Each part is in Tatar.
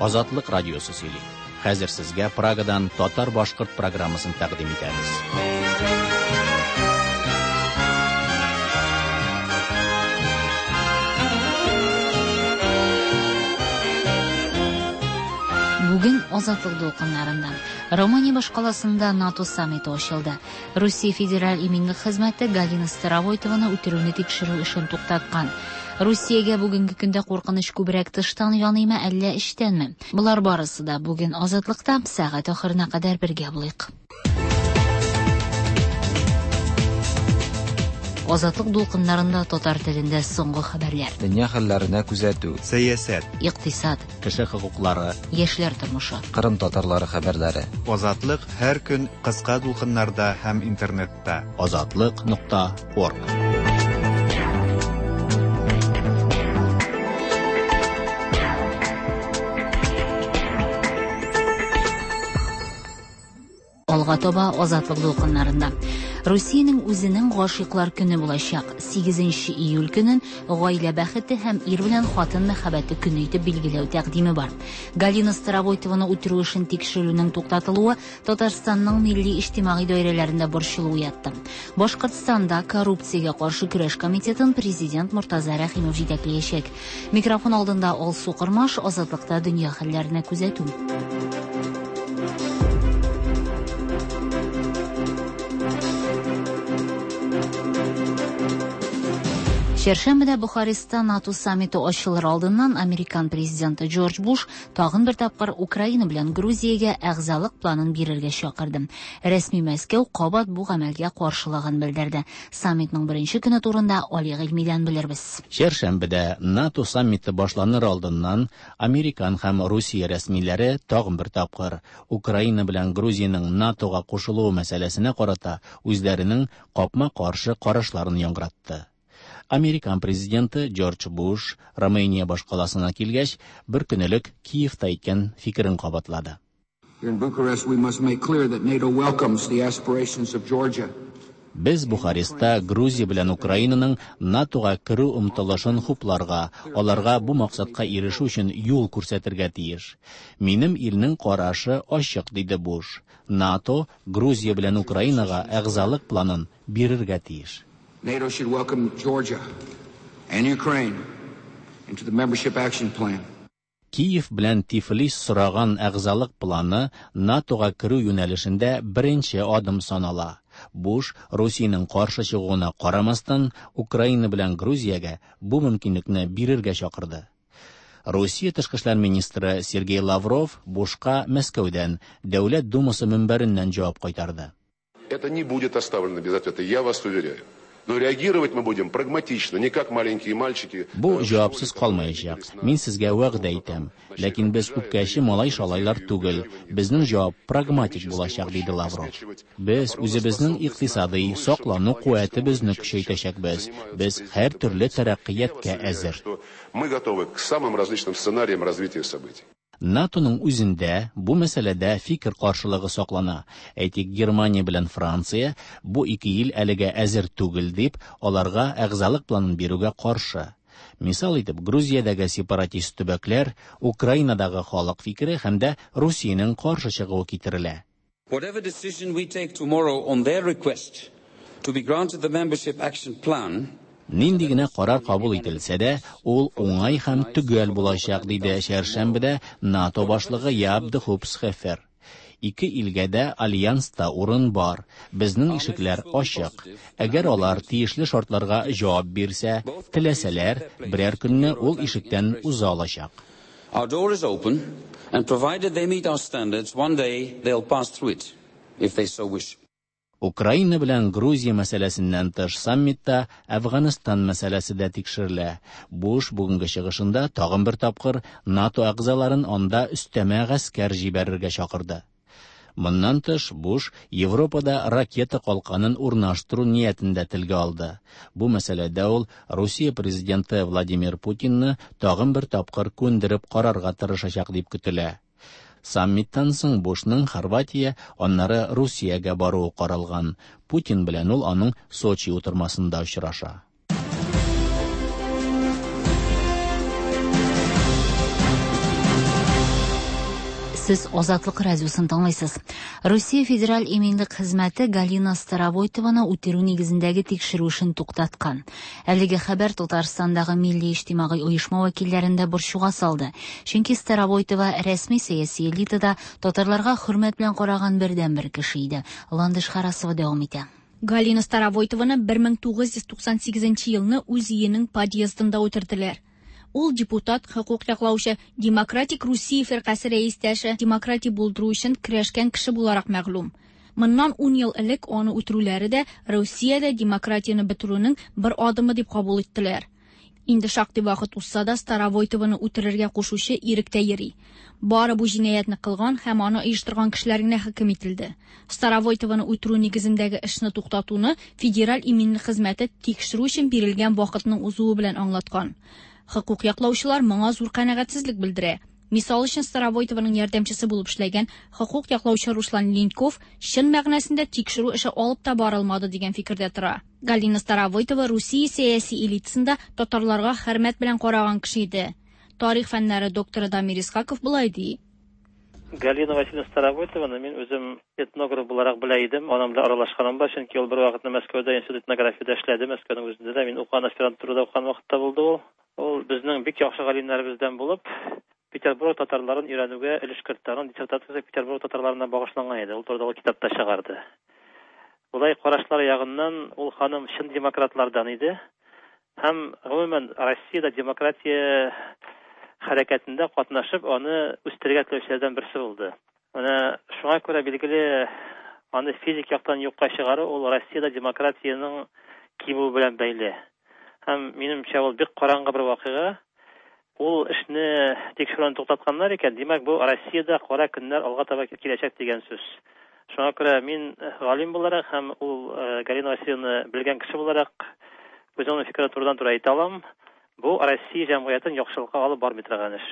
Азатлык радиосы сөйли. Хәзер сезгә Прагадан татар-башкорт программасын тәкъдим итәбез. Бүген Азатлык дулкыннарында Румыния башкаласында НАТО саммиты ачылды. Русия Федераль иминлек хезмәте Галина Старовойтованы үтерүне тикшерү эшен туктаткан. Русиягә бүгенге көндә куркыныч күбрәк тыштан яныймы, әллә эчтәнме? Болар барысы да бүген Азатлыкта сәгать ахырына кадәр бергә булыйк. Азатлык дулкыннарында татар телендә соңгы хәбәрләр. Дөнья хәлләренә күзәтү. Сәясәт. Икътисад. Кеше хокуклары. Яшьләр тормышы. Кырым татарлары хәбәрләре. Азатлык һәр көн кыска дулкыннарда һәм интернетта. Азатлык.орг. Алга таба Азатлык дулкыннарында. Русиянең үзенең гашыйклар көне булачак. 8 июль көнен гаилә бәхете һәм ир белән хатын мәхәббәте көне итеп билгеләү тәкъдиме бар. Галина Старовойтованы үтерү эшен тикшерүнең туктатылуы Татарстанның милли иҗтимагый даирәләрендә борчылу уятты. Башкортстанда коррупциягә каршы көрәш комитетын президент Мортаза Рәхимов җитәкләячәк. Микрофон алдында Алсу Кормаш, Азатлыкта дөнья хәлләренә күзәтү. Чәршәмбедә Бухарестта НАТО саммиты ачылыр алдыннан американ президенты Джордж Буш тагын бер тапкыр Украина белән Грузиягә әгъзалык планын бирергә чакырды. Рәсми Мәскәү кабат бу гамәлгә каршылыгын белдерде. Саммитның беренче көне турында Али Гыйльмидән белербез. Чәршәмбедә НАТО саммиты башланыр алдыннан Американ һәм Русия рәсмиләре тагын бер тапкыр Украина белән Грузиянең НАТОга кушылуы мәсьәләсенә карата үзләренең капма-каршы карашларын яңгыратты. Американ президенты Джордж Буш Румыния башкаласына килгәч, бер көн элек Киевта әйткән фикерен кабатлады. Here in Bucharest, we must make clear that NATO welcomes the aspirations of Georgia. Без Бухарестта Грузия белән Украинаның НАТОга керү омтылышын хупларга, аларга бу максатка ирешү өчен юл күрсәтергә тиеш. Минем илнең карашы ачык, диде Буш. НАТО Грузия белән Украинага әгъзалык планын бирергә тиеш. NATO should welcome Georgia and Ukraine into the membership action plan. Киев белән Тифлис сораган әгъзалык планы НАТОга керү юнәлешендә беренче адым санала. Буш Русиянең каршы чыгуына карамастан, Украина белән Грузиягә бу мөмкинлекне бирергә чакырды. Русия тышкы эшләр министры Сергей Лавров Бушка Мәскәүдән Дәүләт Думасы мөнбәреннән җавап кайтарды. Это не будет оставлено без ответа, я вас уверяю. Но реагировать мы будем прагматично, не как маленькие мальчики. Бу җавапсыз калмаячак. Мин сезгә вәгъдә итәм. Ләкин без үпкәче малай-шалайлар түгел. Безнең җавап прагматик булачак, диде Лавров. Без үзебезнең икътисадый саклану куәтебезне көчәйтәчәкбез. Без һәр төрле тәрәккыятькә әзер. Мы готовы к самым различным сценариям развития событий. НАТОның үзендә бу мәсьәләдә фикер каршылыгы саклана. Әйтик, Германия белән Франция бу ике ил әлегә әзер түгел дип, аларга әгъзалык планын бирүгә каршы. Мисал итеп, Грузиядәге сепаратист төбәкләр, Украинадагы халык фикере һәм дә Русиянең каршы чыгуы китерелә. Whatever decision we take tomorrow on their request to be granted the membership action plan, Нинди генә карар кабул ителсә дә, ул уңай һәм төгәл булачак, диде чәршәмбедә НАТО башлыгы Яп де Хуп Схефер. Ике илгә дә альянста урын бар, безнең ишекләр ачык. Әгәр алар тиешле шартларга җавап бирсә, теләсәләр, берәр көнне ул ишектән уза алачак. Our door is open, and provided they meet our standards, one day they'll pass through it, if they so wish. Украина белән Грузия мәсьәләсеннән тыш саммитта Әфганстан мәсьәләсе дә тикшерелә. Буш бүгенге чыгышында тагын бер тапкыр НАТО әгъзаларын анда өстәмә гаскәр җибәрергә чакырды. Моннан тыш Буш Европада ракета калканын урнаштыру ниятен дә телгә алды. Бу мәсьәләдә ул Русия президенты Владимир Путинны тагын бер тапкыр күндереп карарга тырышачак дип көтелә. Саммиттан соң Бушның Хорватия, аннары Русиягә баруы каралган. Путин белән ул аның Сочи утырмасында очраша. Сез Азатлык радиосын тыңлыйсыз. Русия Федераль иминлек хезмәте Галина Старовойтованы үтерү нигезендәге тикшерү эшен туктаткан. Әлеге хәбәр Татарстандагы милли иҗтимагый оешма вәкилләрен дә борчуга салды. Чөнки Старовойтова рәсми сәяси элитада татарларга хөрмәт белән караган бердәнбер кеше иде. Ландыш Харасова дәвам итә. Галина Старовойтованы 1998 елны үз өенең подъездында үтерделәр. Ул депутат, хокук яклаучы, Демократик Русия фиркасе рәистәше, демократия булдыру өчен көрәшкән кеше буларак мәгълүм. Моннан 10 ел элек аны үтерүләре дә Русиядә демократияне бетерүнең бер адымы дип кабул иттеләр. Инде шактый вакыт узса да Старовойтованы үтерергә кушучы иректә йөри. Бары бу җинаятьне кылган һәм аны оештырган кешеләр генә хөкем ителде. Старовойтованы үтерү нигезендәге эшне туктатуны Федераль иминлек хезмәте тикшерү өчен бирелгән вакытның узуы белән аңлаткан. Хокук яклаучылар моңа зур канәгатьсезлек белдерә. Мисал өчен Старовойтованың ярдәмчесе булып эшләгән хокук яклаучы Руслан Линьков чын мәгънәсендә тикшерү эше алып та барылмады дигән фикердә тора. Галина Старовойтова Русия сәяси элитасында татарларга хөрмәт белән караган кеше иде. Тарих фәннәре докторы Дамир Исхаков болай ди. Галина Васильевна Старовойтованы мин үзем этнограф буларак белә идем, аның белән аралашканым бар, чөнки ул бер вакытны Мәскәүдә институт этнографиядә эшләде, Мәскәүнең үзендә дә мин укыган аспирантурада укыган вакытта булды ул. Ул безнең бик яхшы галимнәребездән булып, Петербург татарларын өйрәнүгә өлеш кертте. Аның диссертациясе Петербург татарларына багышланган иде. Ул турыда ул китап та чыгарды. Болай карашлар ягыннан ул ханым чын демократлардан иде. Һәм гомумән Россиядә демократия хәрәкәтендә катнашып, аны үстерергә теләүчеләрдән берсе булды. Менә шуңа күрә билгеле аны физик яктан юкка чыгару ул Россиядә демократиянең кимүе белән бәйле. Һәм минемчә ул бик караңгы бер вакыйга. Ул эшне тикшерүне туктатканнар икән, димәк бу Россиядә кара көннәр алга таба киләчәк дигән сүз. Шуңа күрә мин галим буларак һәм ул Галина Васильевна белгән кеше буларак үземнең фикерен турыдан-туры әйтә алам. Бу Россия җәмгыятен яхшылыкка алып бармый торган эш.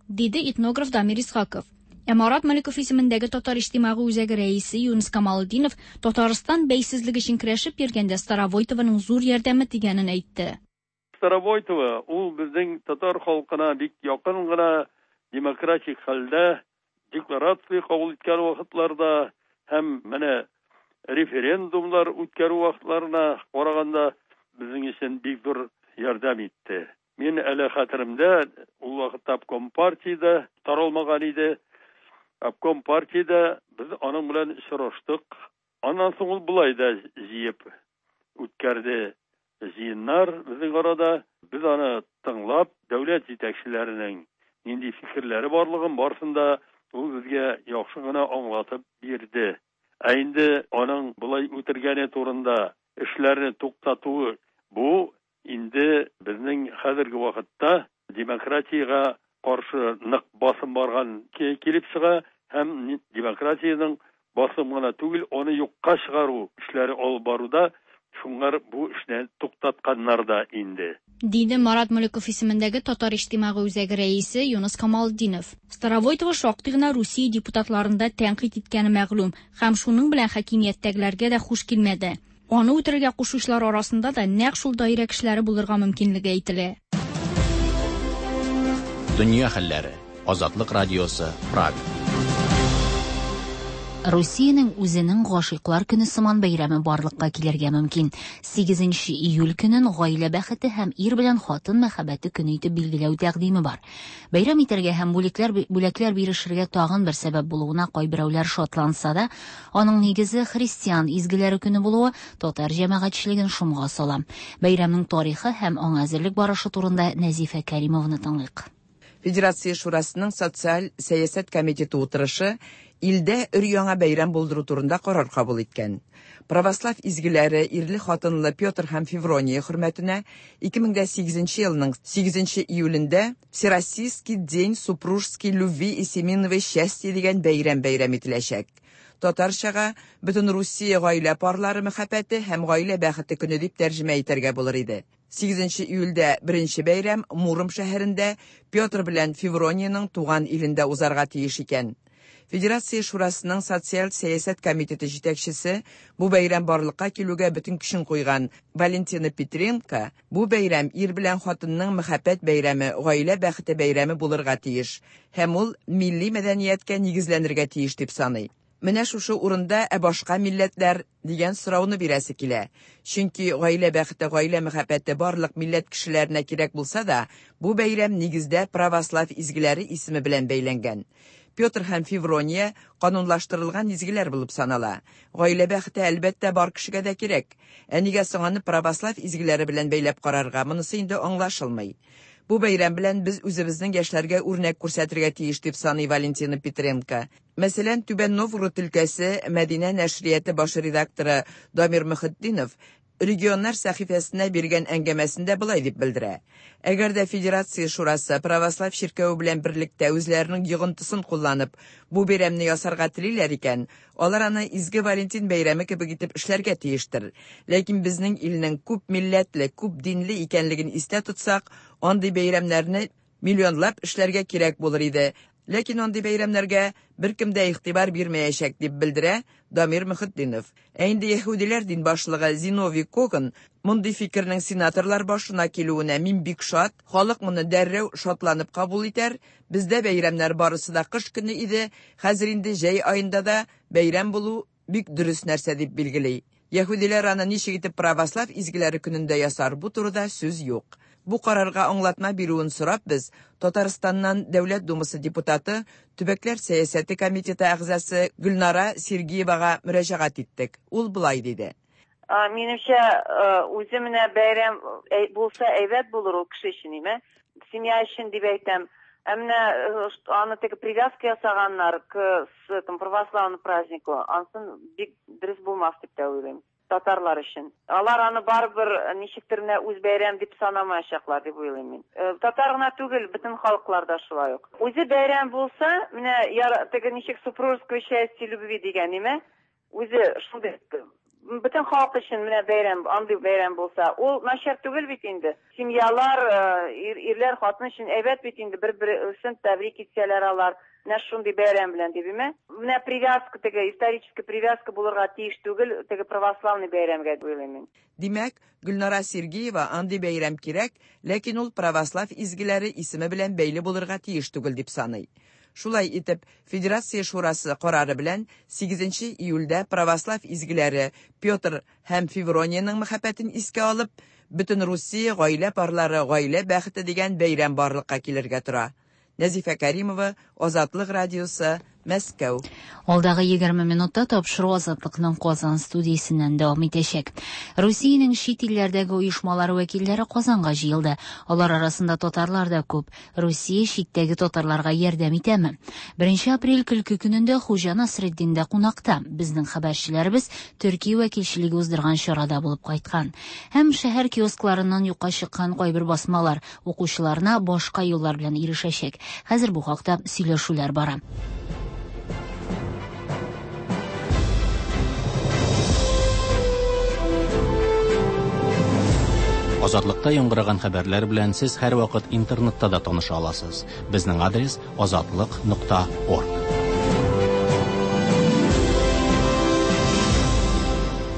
Диде этнограф Дамир Исхаков. Ә Марат Маликов исемендәге Татар иҗтимагый үзәге рәисе Юныс Камалетдинов Татарстан бәйсезлеге өчен көрәшеп йөргәндә Старовойтованың зур ярдәме тигәнен әйтте. Старовойтова ул безнең татар халкына бик якын гына демократик хәлдә декларация кабул иткән вакытларда һәм менә референдумлар үткәрү вакытларына караганда безнең өчен бик зур ярдәм итте. Мин әле хәтеремдә, ул вакытта обком партиядә таралмаган иде. Обком партиядә без аның белән очраштык. Аннан соң ул болай да җыеп үткәрде җыеннар безнең арада. Без аны тыңлап, дәүләт җитәкчеләренең нинди фикерләре барлыгын барысын да ул безгә яхшы гына аңлатып бирде. Ә инде аның болай үтергәне турында эшләрне туктатуы бу инде безнең хәзерге вакытта демократиягә каршы нык басым барган килеп чыга һәм демократиянең басым гына түгел, аны юкка чыгару эшләре алып баруда шуңар бу эшне туктатканнар да инде. Диде Марат Маликов исемендәге Татар иҗтимагый үзәге рәисе Юныс Камалетдинов. Старовойтова шактый гына Русия депутатларын да тәнкыйть иткәне мәгълүм һәм шуның белән хакимияттәгеләргә дә хуш килмәде. Аны үтерергә кушучылар арасында да нәкъ шул даирә кешеләре булырга мөмкинлеге әйтелә. Дөнья хәлләре. Азатлык радиосы, Прага. Русиянең үзенең гашыйклар көне сыман бәйрәме барлыкка килергә мөмкин. 8 июль көнен гаилә бәхете һәм ир белән хатын мәхәббәте көне итеп билгеләү тәкъдиме бар. Бәйрәм итәргә һәм бүлекләр бүләкләр бирешергә тагын бер сәбәп булуына кайберәүләр шатланса да, аның нигезе христиан изгеләре көне булуы татар җәмәгатьчелеген шомга сала. Бәйрәмнең тарихы һәм аңа әзерлек барышы турында Нәзифә Кәримованы тыңлыйк. Федерация Шурасының социаль сәясәт комитеты утырышы илдә өр-яңа бәйрәм булдыру турында карар кабул иткән. Православ изгеләре ирле-хатынлы Петр һәм Феврония хөрмәтенә 2008 елның 8 июлендә Всероссийский день супружеской любви и семейного счастья дигән бәйрәм бәйрәм ителәчәк. Татарчага бөтен Русия гаилә парлары мәхәббәте һәм гаилә бәхете көне дип тәрҗемә итәргә булыр иде. 8 июльдә беренче бәйрәм Муром шәһәрендә Петр белән Феврониянең туган илендә узарга тиеш икән. Федерация Шурасының социаль сәясәт комитеты җитәкчесе, бу бәйрәм барлыкка килүгә бөтен көчен куйган Валентина Петренко, бу бәйрәм ир белән хатынның мәхәббәт бәйрәме, гаилә бәхете бәйрәме булырга тиеш һәм ул милли мәдәнияткә нигезләнергә тиеш дип саный. Менә шушы урында ә башка милләтләр дигән сорауны бирәсе килә. Чөнки гаилә бәхете, гаилә мәхәббәте барлык милләт кешеләренә кирәк булса да, бу бәйрәм нигездә православ изгеләре исеме белән бәйләнгән. Петр һәм Феврония канунлаштырылган изгеләр булып санала. Гаилә бәхете әлбәттә бар кешегә дә кирәк. Ә нигә соң аны православ изгеләре белән бәйләп карарга, монысы инде аңлашылмый. Бу бәйрәм белән без үзебезнең яшьләргә үрнәк күрсәтергә тиеш, дип саный Валентина Петренко. Мәсәлән, Түбән Новгород өлкәсе Мәдинә нәшрияты баш редакторы Дамир Мөхетдинов регионнар сәхифәсенә биргән әңгәмәсендә болай дип белдерә. Әгәр дә Федерация Шурасы православ чиркәве белән берлектә үзләренең йогынтысын кулланып, бу бәйрәмне ясарга телиләр икән, алар аны Изге Валентин бәйрәме кебек итеп эшләргә тиештер. Ләкин безнең илнең күп милләтле, күп динле икәнлеген истә тотсак, андый бәйрәмнәрне миллионлап эшләргә кирәк булыр иде. Ләкин андый бәйрәмнәргә беркем дә игътибар бирмәячәк, дип белдерә Дамир Мөхетдинов. Ә инде яһүдиләр дин башлыгы Зиновий Коган мондый фикернең сенаторлар башына килүенә мин бик шат, халык моны дәррәү шатланып кабул итәр, бездә бәйрәмнәр барысы да кыш көне иде, хәзер инде җәй аенда да бәйрәм булу бик дөрес нәрсә дип билгели. Яһүдиләр аны ничек итеп православ изгеләре көнендә ясар, бу турыда сүз юк. Бу карарга аңлатма бирүен сорап без Татарстаннан Дәүләт Думасы депутаты, Төбәкләр сәясәте комитеты әгъзасы Гөлнара Сергеевага мөрәҗәгать иттек. Ул болай диде. Минемчә, үзе менә бәйрәм булса әйбәт булыр ул кеше өчен, име? Семья өчен дип әйтәм. Ә менә аны теге привязка ясаганнар к этому православному празднику, ансын бик дөрес булмас дип тә уйлыйм. Татарлар өчен. Алар аны барыбер ничектер менә үз бәйрәм дип санамаячаклар дип уйлыйм мин. Татар гына түгел, бөтен халыклар да шулай ук. Үзе бәйрәм булса, менә теге ничек супружеское счастье любви дигән, име? Үзе шундый бөтен халык өчен менә бәйрәм, андый бәйрәм булса, ул начар түгел бит инде. Семьялар, ирләр, хатын өчен әйбәт бит инде, бер-берсен тәбрик итсәләр алар. Менә шундый бәйрәм белән дип, име? Менә привязка теге, исторический привязка булырга тиеш түгел, теге православный бәйрәмгә дип уйлыйм мин. Димәк, Гөлнара Сергеева андый бәйрәм кирәк, ләкин ул православ изгеләре исеме белән бәйле булырга тиеш түгел дип саный. Шулай итеп, Федерация Шурасы карары белән 8 июльдә православ изгеләре Петр һәм Феврониянең мәхәббәтен искә алып, бөтен Русия гаилә парлары гаилә бәхете дигән бәйрәм барлыкка килергә тора. Нәзифә Кәримова, Азатлык радиосы, Мәскәү. Алдагы 20 минутта тапшыру Азатлыкның Казан студиясеннән дәвам итәчәк. Русиянең чит илләрдәге оешмалары вәкилләре Казанга җыелды. Алар арасында татарлар да күп. Русия читтәге татарларга ярдәм итәме? 1 апрель көлке көнендә Хуҗа Насретдиндә кунакта. Безнең хәбәрчеләребез Төркия вәкилчелеге уздырган чарада булып кайткан. Һәм шәһәр киоскларыннан юкка чыккан кайбер басмалар укучыларына башка юллар белән ирешәчәк. Хәзер бу хакта сөйләшүләр бара. Азатлыкта яңгыраган хәбәрләр белән сез һәрвакыт интернетта да таныша аласыз. Безнең адрес azatliq.org.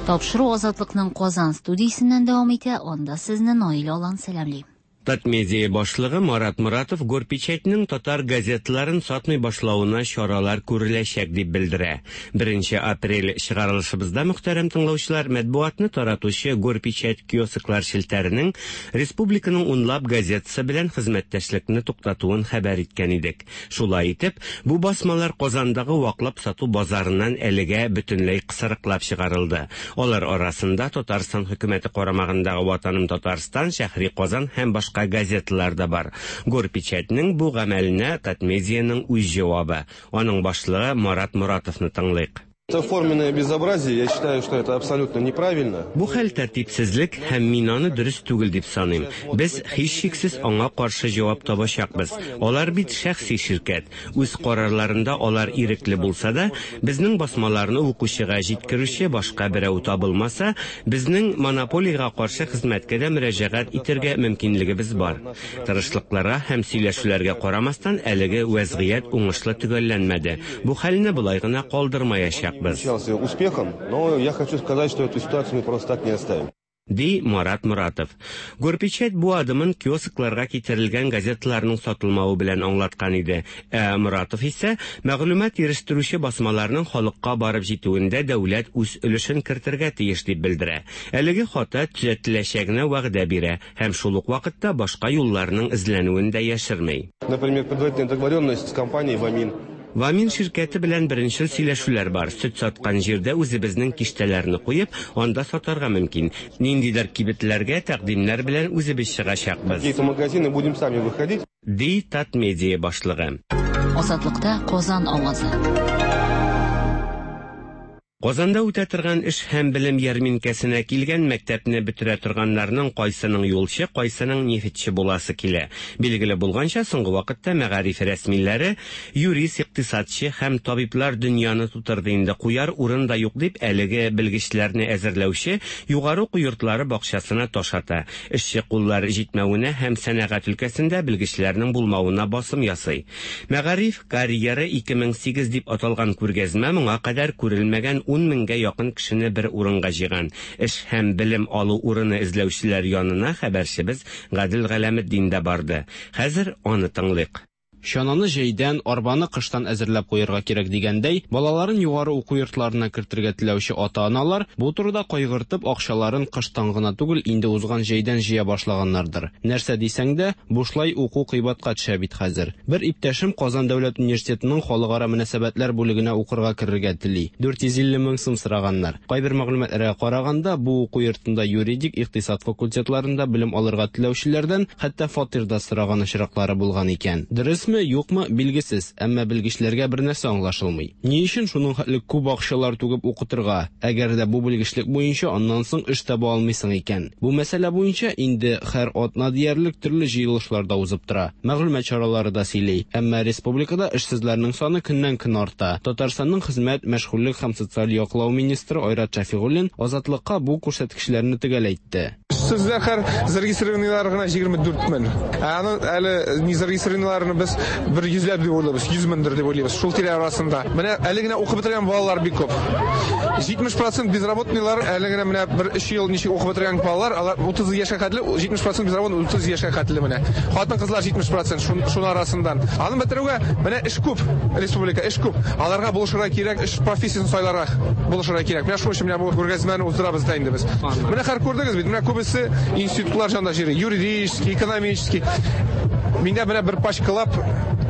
Тапшыру Азатлыкның Казан студиясеннән дәвам итә. Анда сезне Наилә Алан сәламли. Татмедиа башлыгы Марат Моратов Горпечатьның татар газеталарын сатмый башлавына чаралар күреләчәк дип белдерә. 1 апрель чыгарылышыбызда мөхтәрәм тыңлаучылар матбугатны таратучы Горпечать киосклар челтәренең республиканың унлап газетасы белән хезмәттәшлекне туктатуын хәбәр иткән идек. Шулай итеп, бу басмалар Казандагы ваклап сату базарыннан әлегә бөтенләй кысрыклап чыгарылды. Алар арасында Татарстан хөкүмәте карамагындагы Ватаным Татарстан, Шәһри Казан һәм башка газеталар да бар. Горпечатьның бу гамәленә Татмедианың үз җавабы. Аның башлыгы Марат Моратовны тыңлыйк. Это форменное безобразие, я считаю, что это абсолютно неправильно. Бу хәл тәртипсезлек һәм мин аны дөрес түгел дип саныйм. Без һичшиксез аңа каршы җавап табачакбыз. Алар бит шәхси ширкәт. Үз карарларында алар ирекле булса да, безнең басмаларны укучыга җиткерүче башка берәү табылмаса, безнең монополиягә каршы хезмәткә дә мөрәҗәгать итәргә мөмкинлегебез бар. Тырышлыкларга һәм сөйләшүләргә карамастан, әлеге вәзгыять уңышлы төгәлләнмәде. Бу хәлне болай гына калдырмаячакбыз. Успехом, но я хочу сказать, что эту ситуацию мы просто так не оставим. Ди Марат Моратов. Горпечать бу адымын киоскларга китерелгән газеталарның сатылмавы белән аңлаткан иде. Ә Моратов исә мәгълүмат ирештерүче басмаларның халыкка барып җитүендә дәүләт үз өлешен кертергә тиеш дип белдерә. Әлеге хата төзәтеләчәгенә вәгъдә бирә һәм шул ук вакытта башка юлларның эзләнүен дә яшерми. Например, предварительная договоренность с компанией «Вамин». Вамин ширкәте белән беренчел сөйләшүләр бар. Сөт саткан җирдә үзебезнең киштәләрне куеп, анда сатарга мөмкин. Ниндидер кибетләргә тәкъдимнәр белән үзебез чыгачакбыз. Какие-то магазины будем сами выходить. Ди Татмедиа башлыгы. Азатлыкта Казан авазы. Казанда үтә торган эш һәм белем ярминкәсенә килгән мәктәпне бетерә торганнарның кайсының юлчы, кайсының нефтьче буласы килә. Билгеле булганча, соңгы вакытта мәгариф рәсмиләре юрист, икътисадчы һәм табиблар дөньяны тутырды инде, куяр урын да юк дип әлеге белгечләрне әзерләүче югары уку йортлары бакчасына таш ата. Эшче куллар җитмәвенә һәм сәнәгать өлкәсендә белгечләрнең булмавына басым ясый. Мәгариф карьера 2008 дип аталган күргәзмә моңа кадәр күрелмәгән 10 меңгә якын кешене бер урынга җыйган. Эш һәм белем алу урыны эзләүчеләр янына хәбәрчебез Гадел Галәметдин дә барды. Хәзер аны тыңлыйк. Чананы җәйдән, арбаны кыштан әзерләп куярга кирәк дигәндәй, балаларын югары уку йортларына кертергә теләүче ата-аналар бу турыда кайгыртып, акчаларын кыштан гына түгел, инде узган җәйдән җыя башлаганнардыр. Нәрсә дисәң дә, бушлай уку кыйбатка төшә бит хәзер. Бер иптәшем Казан дәүләт университетының халыкара мөнәсәбәтләр бүлегенә укырга керергә тели. 450 мең сум сораганнар. Кайбер мәгълүматларга караганда, бу уку йортында юридик, икътисад факультетларында белем алырга теләүчеләрдән хәтта фатир да сораган очраклары булган икән. Дөресме, юкмы, билгесез, әмма белгечләргә бер нәрсә аңлашылмый. Ни өчен шуның хәтле күп акчалар түгеп укытырга, әгәр дә бу белгечлек буенча аннан соң эш таба алмыйсың икән? Бу мәсьәлә буенча инде һәр атна диярлек төрле җыелышлар да узып тора. Мәгълүмат чаралары да сөйли. Әмма республикада эшсезләрнең саны көннән-көн арта. Татарстанның хезмәт, мәшгульлек һәм социаль яклау министры Айрат Шәфигуллин Азатлыкка бу күрсәткечләрне төгәл әйтте. Эшсезләр һәр зарегистрированныйлар гына 24 мең. Ә аны әле не зарегистрированныйларны без бер йөзләп дип уйлыйбыз, 100 меңдер дип уйлыйбыз. Шул тирә арасында. Менә әле генә укып бетергән балалар бик күп. 70% безработныйлар әле генә менә бер 3 ел ничек укып бетергән балалар, алар 30 яшькә хәтле, 70% безработный 30 яшькә хәтле менә. Хатын-кызлар 70% шуның арасыннан. Аны бетерүгә менә эш күп, республика эш күп. Аларга булышырга кирәк, эш профессиясен сайларга булышырга кирәк. Менә шуның өчен менә бу күргәзмәне уздырабыз да инде без. Менә хәзер күрдегез бит, менә күбесе институтлар җанда җыри, юридический, экономический. Миндә менә бер пачкалап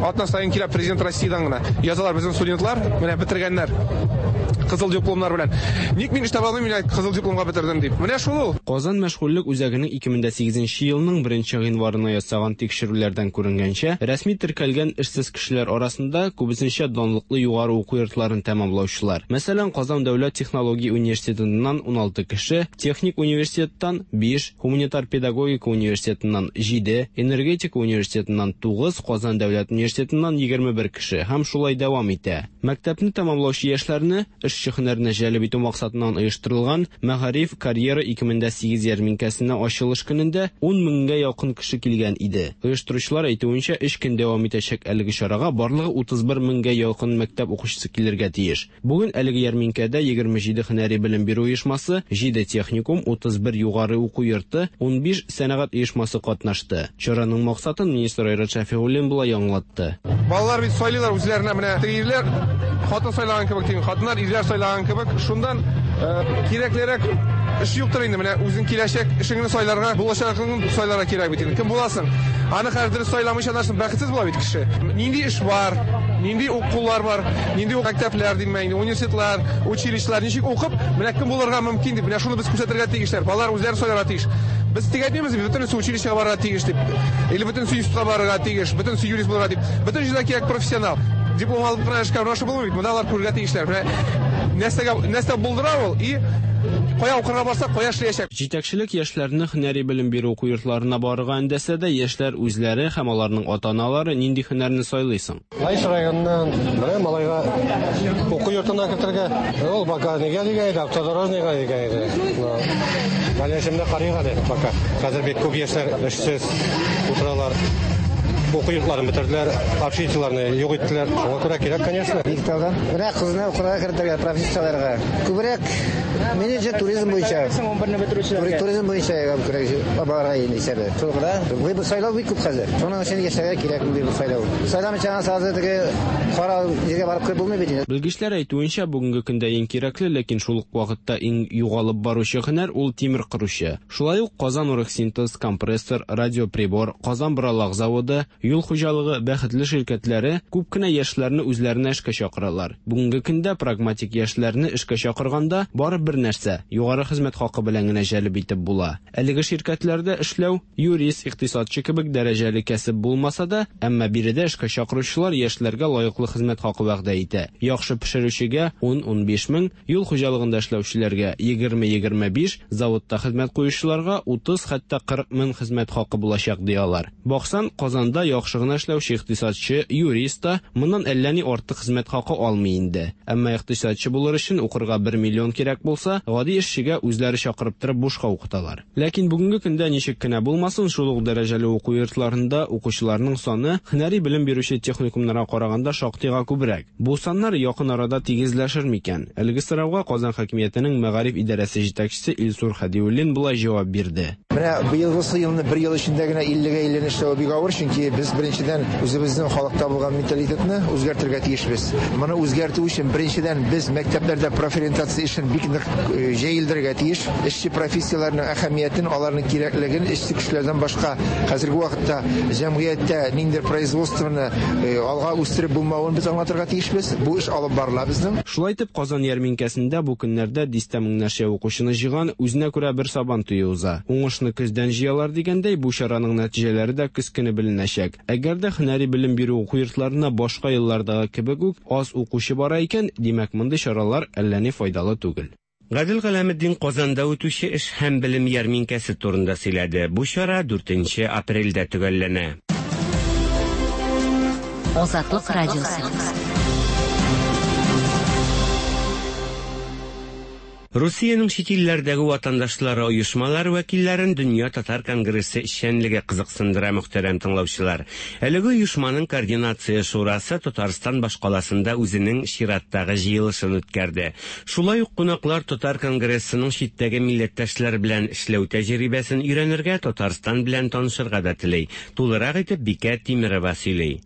атна саен килә президент Россиядән генә. Язалар безнең студентлар, менә бетергәннәр. Кызыл дипломнар белән. Ник мин эш таба алмыйм, мин кызыл дипломга бетердем дип. Менә шул ул. Казан мәшгульлек үзәгенең 2008 елның 1 гыйнварына ясаган тикшерүләрдән күренгәнчә, рәсми теркәлгән эшсез кешеләр арасында күбесенчә данлыклы югары уку йортларын тәмамлаучылар. Мәсәлән, Казан дәүләт технология университетыннан 16 кеше, техник университеттан 5, гуманитар педагогика университетыннан 7, энергетика университетыннан 9, Казан дәүләт университетыннан 21 кеше һәм шулай дәвам итә. Мәктәпне тәмамлаучы яшьләрне эшче һөнәренә җәлеп итү максатыннан оештырылган Мәгариф карьера 2008 ярминкәсенә ачылыш көнендә 10 меңгә якын кеше килгән иде. Оештыручылар әйтүенчә, 3 көн дәвам итәчәк әлеге чарага барлыгы 31 меңгә якын мәктәп укучысы килергә тиеш. Бүген әлеге ярминкәдә 27 һөнәри белем бирү оешмасы, 7 техникум, 31 югары уку йорты, 15 сәнәгать оешмасы катнашты. Чараның максатын министр Айрат Шәфигуллин болай аңлатты. Балалар бит сайлыйлар үзләренә, менә теге ирләр хатын сайлаган кебек, дигән хатыннар ирләр сайлаган кебек, шундан кирәклерәк эш юктыр инде. Менә үзең киләчәк эшеңне сайларга, булачагыңны сайларга кирәк бит инде. Кем буласың? Аны хәзер дөрес сайламыйча нәрсә бәхетсез була бит кеше. Нинди эш бар, нинди укулар бар, нинди мәктәпләр димме инде, университетлар, училищелар ничек укып, менә кем булырга мөмкин дип, менә шуны без күрсәтергә тиешләр. Балалар үзләре сайларга тиеш. Без тик әйтмибез, бөтенесе училищега барырга тиеш дип, или бөтенесе институтка барырга тиеш, бөтенесе юрист булырга дип. Бөтен җирдә кирәк профессионал. Диплом алып кына эшкә урнашу булмый бит. Монда алар күрергә тиешләр. Менә Нәрсәгә нәрсә булдыра ул и кая укырга барса, кая эшләячәк. Җитәкчелек яшьләрне һөнәри белем бирү уку йортларына барырга өндәсә дә, яшьләр үзләре һәм аларның ата-аналары нинди һөнәрне сайлый соң? Лаеш районыннан менә малайга уку йортына кертергә. Ул пока нигә дигән иде, автодорожныйга дигән иде. В дальнейшем карыйк әле пока. Хәзер бик күп яшьләр эшсез утыралар. Уку йортларын бетерделәр, общежитиеләрне юк иттеләр. Шуңа күрә кирәк, конечно. Биектаудан. Менә кызны укырга кертергә, профессияләргә. Күбрәк менеджер туризм буенча. Туризм буенча күбрәк барырга инде исәбе. Шул гына. Выбор сайлау бик күп хәзер. Шуның өчен яшьләргә кирәк мондый бер сайлау. Сайламыйча гына сразу теге кара җиргә барып кереп булмый бит инде. Белгечләр әйтүенчә, бүгенге көндә иң кирәкле, ләкин шул ук вакытта иң югалып баручы һөнәр ул тимер кыручы. Шулай ук Казан Оргсинтез, компрессор, радиоприбор, Казан боралак заводы, юл хуҗалыгы, Бәхетле ширкәтләре күп кенә яшьләрне үзләренә эшкә чакыралар. Бүгенге көндә прагматик яшьләрне эшкә чакырганда бары бер нәрсә югары хезмәт хакы белән генә җәлеп итеп була. Әлеге ширкәтләрдә эшләү юрист, икътисадчы кебек дәрәҗәле кәсеп булмаса да, әмма биредә эшкә чакыручылар яшьләргә лаеклы хезмәт хакы вәгъдә итә. Яхшы пешерүчегә 10-15 мең, юл хуҗалыгында эшләүчеләргә 20-25, заводта хезмәт куючыларга 30 хәтта 40 мең хезмәт хакы булачак ди алар. Баксаң, Казанда яхшы гына эшләүче икътисадчы, юрист та моннан әллә ни артык хезмәт хакы алмый инде. Әмма икътисадчы булыр өчен укырга 1 миллион кирәк булса, гади эшчегә үзләре чакырып торып бушка укыталар. Ләкин бүгенге көндә ничек кенә булмасын, шул ук дәрәҗәле уку йортларында укучыларның саны һөнәри белем бирүче техникумнарга караганда шактыйга күбрәк. Бу саннар якын арада тигезләшер микән? Әлеге сорауга Казан хакимиятенең мәгариф идарәсе җитәкчесе Илсур Хәдиуллин болай җавап бирде. Менә быелгысы елны бер ел эчендә генә 50-гә 50 эшләү бик авыр, чөнки без беренчедән үзебезнең халыкта булган менталитетны үзгәртергә тиешбез. Моны үзгәртү өчен беренчедән без мәктәпләрдә профориентация эшен бик нык җәелдерергә тиеш. Эшче профессияләрнең әһәмиятен, аларның кирәклеген эшче көчләрдән башка хәзерге вакытта җәмгыятьтә ниндидер производствоны алга үстереп булмавын без аңлатырга тиешбез. Бу эш алып барыла безнең. Шулай итеп, Казан ярминкәсендә бу көннәрдә дистә меңнәрчә укучыны җыйган үзенә күрә бер сабан туе уза. Уңышны көздән җыялар дигәндәй, бу чараның нәтиҗәләре дә көз көне беленәчәк. Әгәр дә һөнәри белем бирү уку йортларына башка еллардагы кебек үк аз укучы бара икән, димәк, мондый чаралар әллә ни файдалы түгел. Гадел Галәметдин Казанда үтүче эш һәм белем ярминкәсе турында сөйләде. Бу чара 4 апрельдә төгәлләнә. Азатлык радиосы. Русиянең чит илләрдәге ватандашлары оешмалары вәкилләрен Дөнья татар конгрессы эшчәнлеге кызыксындыра, мөхтәрәм тыңлаучылар. Әлеге оешманың координация шурасы Татарстан башкаласында үзенең чираттагы җыелышын үткәрде. Шулай ук кунаклар татар конгрессының читтәге милләттәшләр белән эшләү тәҗрибәсен өйрәнергә, Татарстан белән танышырга да тели. Тулырак итеп Бикә Тимерова сөйли.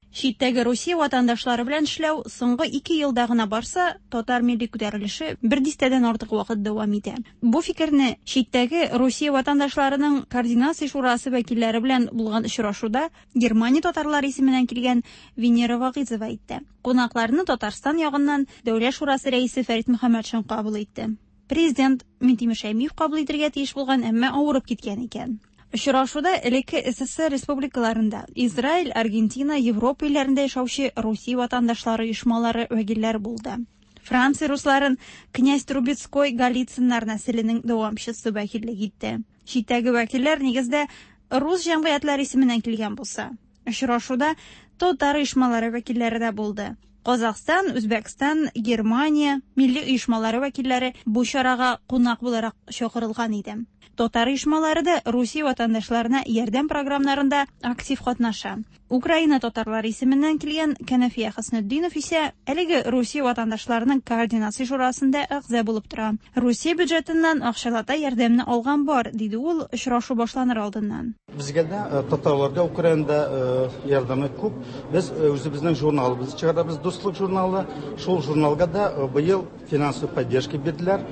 Читтәге Русия ватандашлары белән эшләү соңгы 2 елда гына барса, татар милли күтәрелеше бер дистәдән артык вакыт дәвам итә. Бу фикерне читтәге Русия ватандашларының координация шурасы вәкилләре белән булган очрашуда Германия татарлары исеменнән килгән Венера Вагизова әйтте. Кунакларны Татарстан ягыннан Дәүләт шурасы рәисе Фәрит Мөхәммәтшин кабул итте. Президент Минтимер Шәймиев кабул итергә тиеш булган, әмма авырып киткән икән. Очрашуда элекке СССР республикаларында, Израиль, Аргентина, Европа илләрендә яшәүче Русия ватандашлары оешмалары вәкилләре булды. Франция русларын князь Трубецкой Голицыннар нәселенең дәвамчысы вәкиллек итте. Читтәге вәкилләр нигездә рус җәмгыятьләре исеменнән килгән булса, очрашуда татар оешмалары вәкилләре дә булды. Казахстан, Үзбәкстан, Германия милли оешмалары вәкилләре бу чарага кунак буларак чакырылган иде. Татар оешмалары да Русия ватандашларына ярдәм програмнарында актив катнаша. Украина татарлары исеменнән килгән Кәнәфия Хөснетдинов исә әлеге Русия ватандашларының координация шурасында әгъза булып тора. Русия бюджетыннан акчалата ярдәмне алган бар, диде ул очрашу башланыр алдыннан. Безгә дә татарларга Украинада ярдәме күп. Без үзебезнең журналыбызны чыгарабыз, Дуслык журналы. Шул журналга да быел финансовый поддержка бирделәр.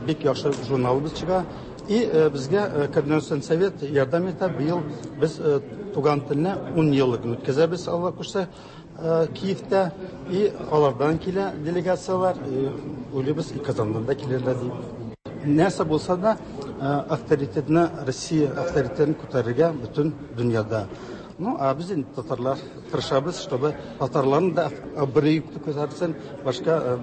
Бик яхшы журналыбыз чыга. И безгә координацион совет ярдәм итә. Быел без туган телне 10 еллыгын үткәзәбез, Алла кушса, Киевтә. И алардан килә делегацияләр, уйлыйбыз, и Казаннан да килерләр дип. Нәрсә булса да, авторитетны, Россия авторитетын күтәрергә бөтен дөньяда. Ну, а без инде татарлар тырышабыз, чтобы татарларның да абруе күтәрелсен, башка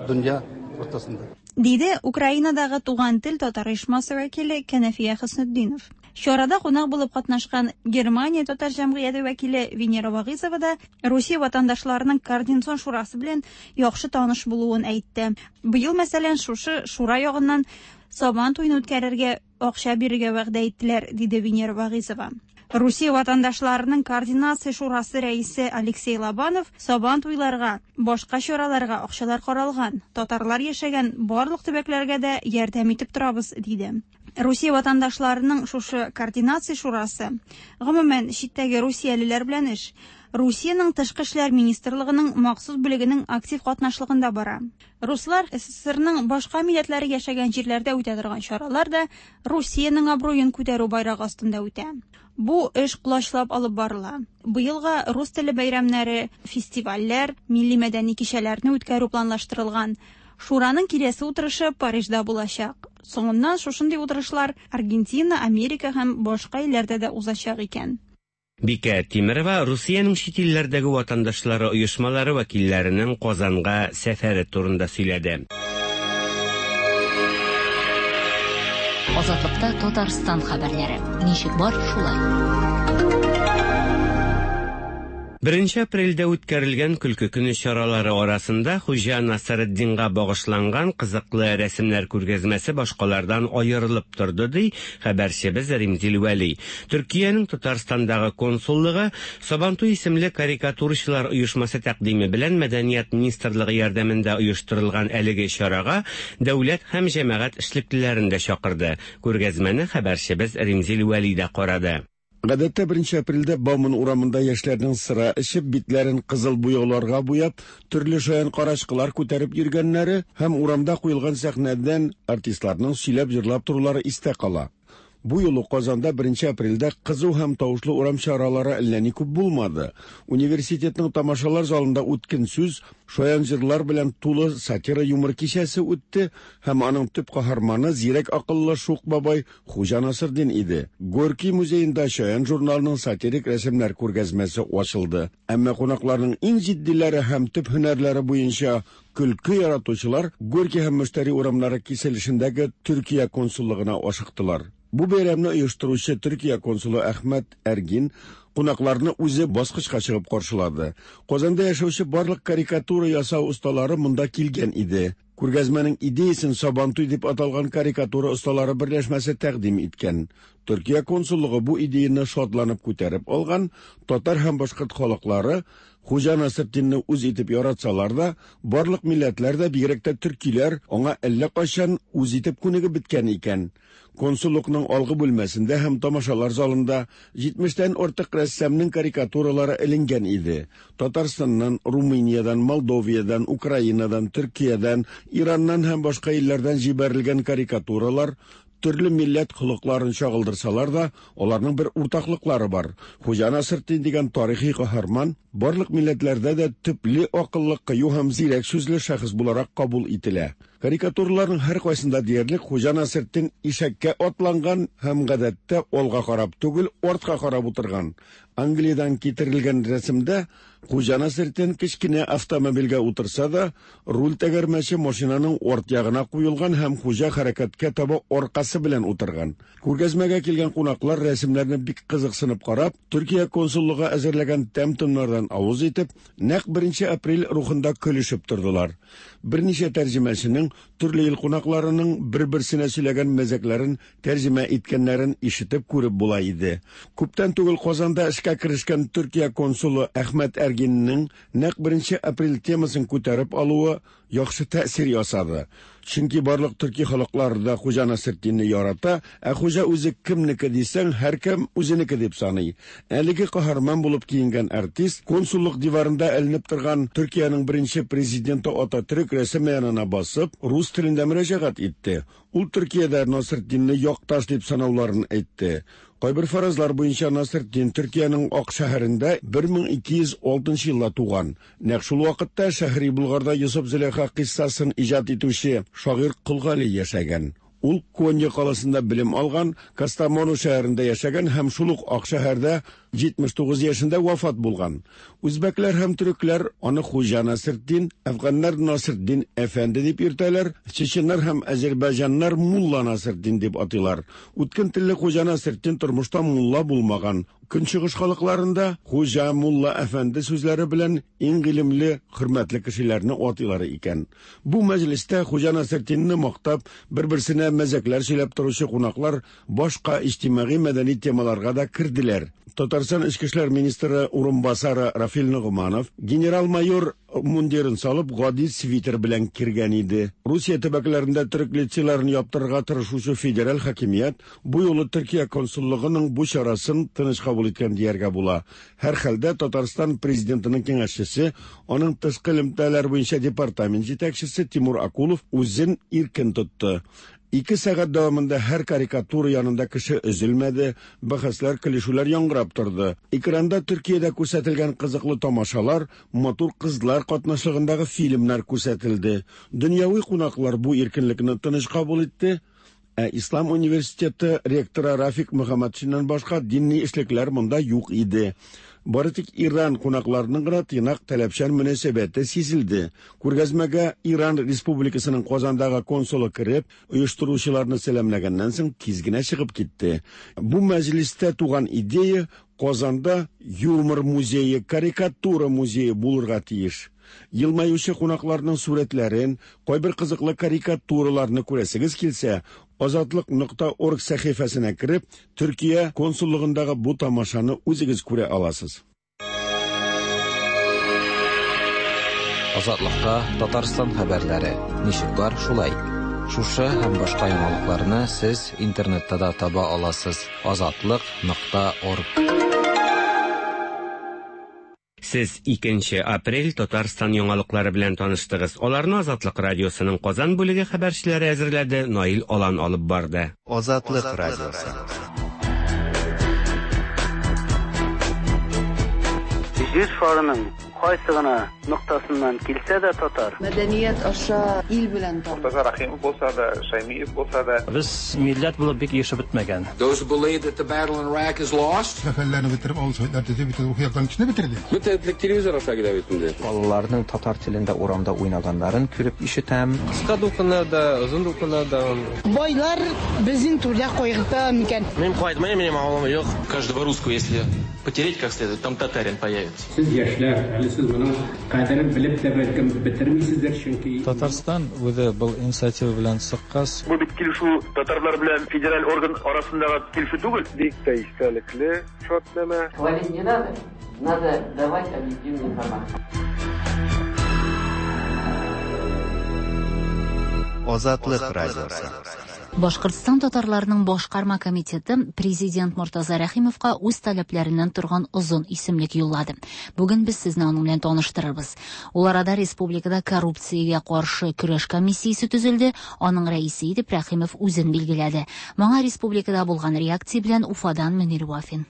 дөнья уртасында. Диде Украинадагы Туган тел татар оешмасы вәкиле Кәнәфия Хөснетдинов. Чарада кунак булып катнашкан Германия татар җәмгыяте вәкиле Венера Вагыйзова да Русия ватандашларының координацион шурасы белән яхшы таныш булуын әйтте. Быел, мәсәлән, шушы шура ягыннан Сабан туен үткәрергә акча бирергә вәгъдә иттеләр, диде Венера Вагыйзова. Русия ватандашларының координация шурасы рәисе Алексей Лобанов Сабан туйларга, башка чараларга акчалар каралган, татарлар яшәгән барлык төбәкләргә дә ярдәм итеп торабыз, диде. Русия ватандашларының шушы координация шурасы, гомумән, читтәге русиялеләр белән эш, Русиянең Тышкы эшләр министрлыгының махсус бүлегенең актив катнашлыгында бара. Руслар СССРның башка милләтләре яшәгән җирләрдә үтә торган чаралар да Русиянең абруен күтәрү байрагы астында үтә. Бу эш колачлап алып барыла. Быелга рус теле бәйрәмнәре, фестивальләр, милли-мәдәни кичәләрне үткәрү планлаштырылган. Шураның киләсе утырышы Парижда булачак. Соңыннан шушындый утырышлар Аргентина, Америка һәм башка илләрдә дә узачак икән. Бикә Тимерова Русиянең чит илләрдәге ватандашлары оешмалары вәкилләренең Казанга сәфәре турында сөйләде. Азатлыкта Татарстан хәбәрләре. Ничек бар, шулай. Беренче апрельдә үткәрелгән Көлке көне чаралары арасында Хуҗа Насретдинга багышланган кызыклы рәсемнәр күргәзмәсе башкалардан аерылып торды, ди хәбәрчебез Римзил Вәли. Төркиянең Татарстандагы консуллыгы Сабантуй исемле карикатурачылар оешмасы тәкъдиме белән Мәдәният министрлыгы ярдәмендә оештырылган әлеге чарага дәүләт һәм җәмәгать эшлеклеләрен дә чакырды. Күргәзмәне хәбәрчебез Римзил Вәли дә карады. Гадәттә, беренче апрельдә Бауман урамында яшьләрнең сыра эчеп, битләрен кызыл буяуларга буяп, төрле шаян карачкылар күтәреп йөргәннәре һәм урамда куелган сәхнәдән артистларның сөйләп-җырлап торулары истә кала. Бу юлы Казанда беренче апрельдә кызу һәм тавышлы урам чаралары әллә ни күп булмады. Университетның тамашалар залында үткен сүз, шаян җырлар белән тулы сатира-юмор кичәсе үтте һәм аның төп каһарманы зирәк акыллы шук бабай Хуҗа Насырдин иде. Горький музеенда Чаян журналының сатирик рәсемнәр күргәзмәсе ачылды. Әмма кунакларның иң җитдиләре һәм төп һөнәрләре буенча көлке яратучылар Горький һәм Мөштәри урамнары киселешендәге Төркия консуллыгына ашыктылар. Бу бәйрәмне оештыручы Төркия консулы Әхмәт Әргин кунакларны үзе баскычка чыгып каршылады. Казанда яшәүче барлык карикатура ясау осталары монда килгән иде. Күргәзмәнең идеясен Сабантуй дип аталган карикатура осталары берләшмәсе тәкъдим иткән. Төркия консуллыгы бу идеяне шатланып күтәреп алган, татар һәм башкорт халыклары Хуҗа Насретдинне үз итеп яратсалар да, барлык милләтләр дә, бигрәк тә төркиләр, аңа әллә кайчан үз итеп күнегеп беткән икән. Консуллыкның алгы бүлмәсендә һәм тамашалар залында җитмештән артык рәссамның карикатуралары эленгән иде. Татарстаннан, Румыниядән, Молдовиядән, Украинадан, Төркиядән, Ираннан һәм башка илләрдән җибәрелгән карикатуралар төрле милләт холыкларын чагылдырсалар да, аларның бер уртаклыклары бар. Хуҗа Насретдин дигән тарихи каһарман барлык милләтләрдә дә төпле акыллы, кыю һәм зирәк сүзле шәхес буларак кабул ителә. Карикатураларның һәркайсында диярлек Хуҗа Насретдин ишәккә атланган һәм гадәттә алга карап түгел, артка карап утырган. Англиядән китерелгән рәсемдә Хуҗа Насретдин кечкенә автомобильгә утырса да, руль тәгәрмәче машинаның арт ягына куелган һәм хуҗа хәрәкәткә таба аркасы белән утырган. Күргәзмәгә килгән кунаклар рәсемнәрне бик кызыксынып карап, Төркия консуллыгы әзерләгән тәм-томнардан авыз итеп, нәкъ беренче апрель рухында көлешеп тордылар. Берничә тәрҗемәченең төрле ил кунакларының бер-берсенә сөйләгән мәзәкләрен тәрҗемә иткәннәрен ишетеп күреп була иде. Күптән түгел Казанда эшкә керешкән Төркия консулы Әхмәт Әргиннең нәкъ беренче апрель темасын күтәреп алуы яхшы тәэсир ясады. Чөнки барлык төрки халыклары да Хуҗа Насретдинне ярата, ә хуҗа үзе кемнеке дисәң, һәркем үзенеке дип саный. Әлеге каһарман булып киенгән артист консуллык диварында эленеп торган Төркиянең беренче президенты Ататөрек рәсеме янына басып, рус телендә мөрәҗәгать итте. Ул Төркиядә Насретдинне якташ дип санауларын әйтте. Кайбер фаразлар буенча Насретдин Төркиянең Ак шәһәрендә 1206 елда туган. Нәкъ шул вакытта Шәһри Болгарда Йосыф-Зөләйха кыйссасын иҗат итүче шагыйрь Кол Гали яшәгән. Ул Конья каласында белем алган, Кастамону шәһәрендә яшәгән һәм шул ук Ак шәһәрдә 79 яшендә вафат булган. Үзбәкләр һәм төрекләр аны Хуҗа Насретдин, әфганнар Насретдин әфәнде дип йөртәләр, чеченнар һәм әзербайҗаннар Мулла Насретдин дип атыйлар. Үткен телле Хуҗа Насретдин тормышта мулла булмаган. Көнчыгыш халыкларында хуҗа, мулла, әфәнде сүзләре белән иң гыйлемле, хөрмәтле кешеләрне атыйлар икән. Бу мәҗлестә Хуҗа Насретдинне мактап, бер-берсенә мәзәкләр сөйләп торучы кунаклар башка иҗтимагый-мәдәни темаларга да керделәр. Татарстан Эчке эшләр министры урынбасары Рафил Ногманов генерал-майор мундирын салып, гади свитер белән кергән иде. Русия төбәкләрендә төрек лицейларын яптырырга тырышучы федераль хакимият бу юлы Төркия консуллыгының бу чарасын тыныч кабул иткән дияргә була. Һәрхәлдә Татарстан президентының киңәшчесе, аның тышкы элемтәләр буенча департамент җитәкчесе Тимур Акулов үзен иркен тотты. Ике сәгать дәвамында һәр карикатура янында кеше өзелмәде, бәхәсләр, көлешүләр яңгырап торды. Экранда Төркиядә күрсәтелгән кызыклы тамашалар, матур кызлар катнашлыгындагы фильмнар күрсәтелде. Дөньяви кунаклар бу иркенлекне тыныч кабул итте. Ә Ислам университеты ректоры Рафик Мөхәммәтшиннан башка динни эшлекләр монда юк иде. Бары тик Иран кунакларының гына тыйнак таләпчән мөнәсәбәте сизелде. Күргәзмәгә Иран Республикасының Казандагы консулы кереп, оештыручыларны сәламләгәннән соң тиз генә чыгып китте. Бу мәҗлестә туган идея Казанда юмор музее, карикатура музее булырга тиеш. Елмаючы кунакларның сурәтләрен, кайбер кызыклы карикатураларны күрәсегез килсә, Азатлык нокта орг сәхифәсенә кереп, Төркия консуллыгындагы бу тамашаны үзегез күрә аласыз. Азатлыкта Татарстан хәбәрләре. Ничек бар, шулай. Шушы һәм башка яңалыкларны сез интернетта да таба аласыз. Азатлык нокта орг. Сез 2 апрель Татарстан яңалыклары белән таныштыгыз. Аларны Азатлык радиосының Казан бүлеге хәбәрчеләре әзерләде, Наил Алан алып барды. Азатлык радиосы. Җир шарының кайсы гына ноктасыннан килсә дә татар. Мәдәният аша ил белән таныш. Мортаза Рәхимов булса да, Шәймиев булса да. Без милләт булып бик ирешеп бетмәгән. Those who believe that the battle in Iraq is lost. Сәфәрләрне бетереп, авыл советлар төзеп, бит рухи яктан көчне бетерде. Бөтен телевизор аша килә бит инде. Балаларның татар телендә урамда уйнаганнарын күреп ишетәм. Кыска дулкыннар да, озын дулкыннар да. Байлар безнең түрдә кайгырта микән? Мин кайтмыйм, минем авылым юк. Каждого русского, если потереть как следует, там татарин появится. Сез яшьләр, әле сез моның кадерен белеп тә бәлкем бетермисездер, чөнки Татарстан үзе был инициатива белән чыккач, Бу бит килешү татарлар белән федераль орган арасындагы килешү түгел. Бик тә истәлекле шартнамә. Хвалить не надо, надо давать объективную информацию. Азатлык радиосы. Башкортстан татарларының башкарма комитеты президент Мортаза Рәхимовка үз таләпләреннән торган озын исемлек юллады. Бүген без сезне аның белән таныштырырбыз. Ул арада республикада коррупциягә каршы көрәш комиссиясе төзелде, аның рәисе итеп Рәхимов үзен билгеләде. Моңа республикада булган реакция белән Уфадан Мөнир Вафин.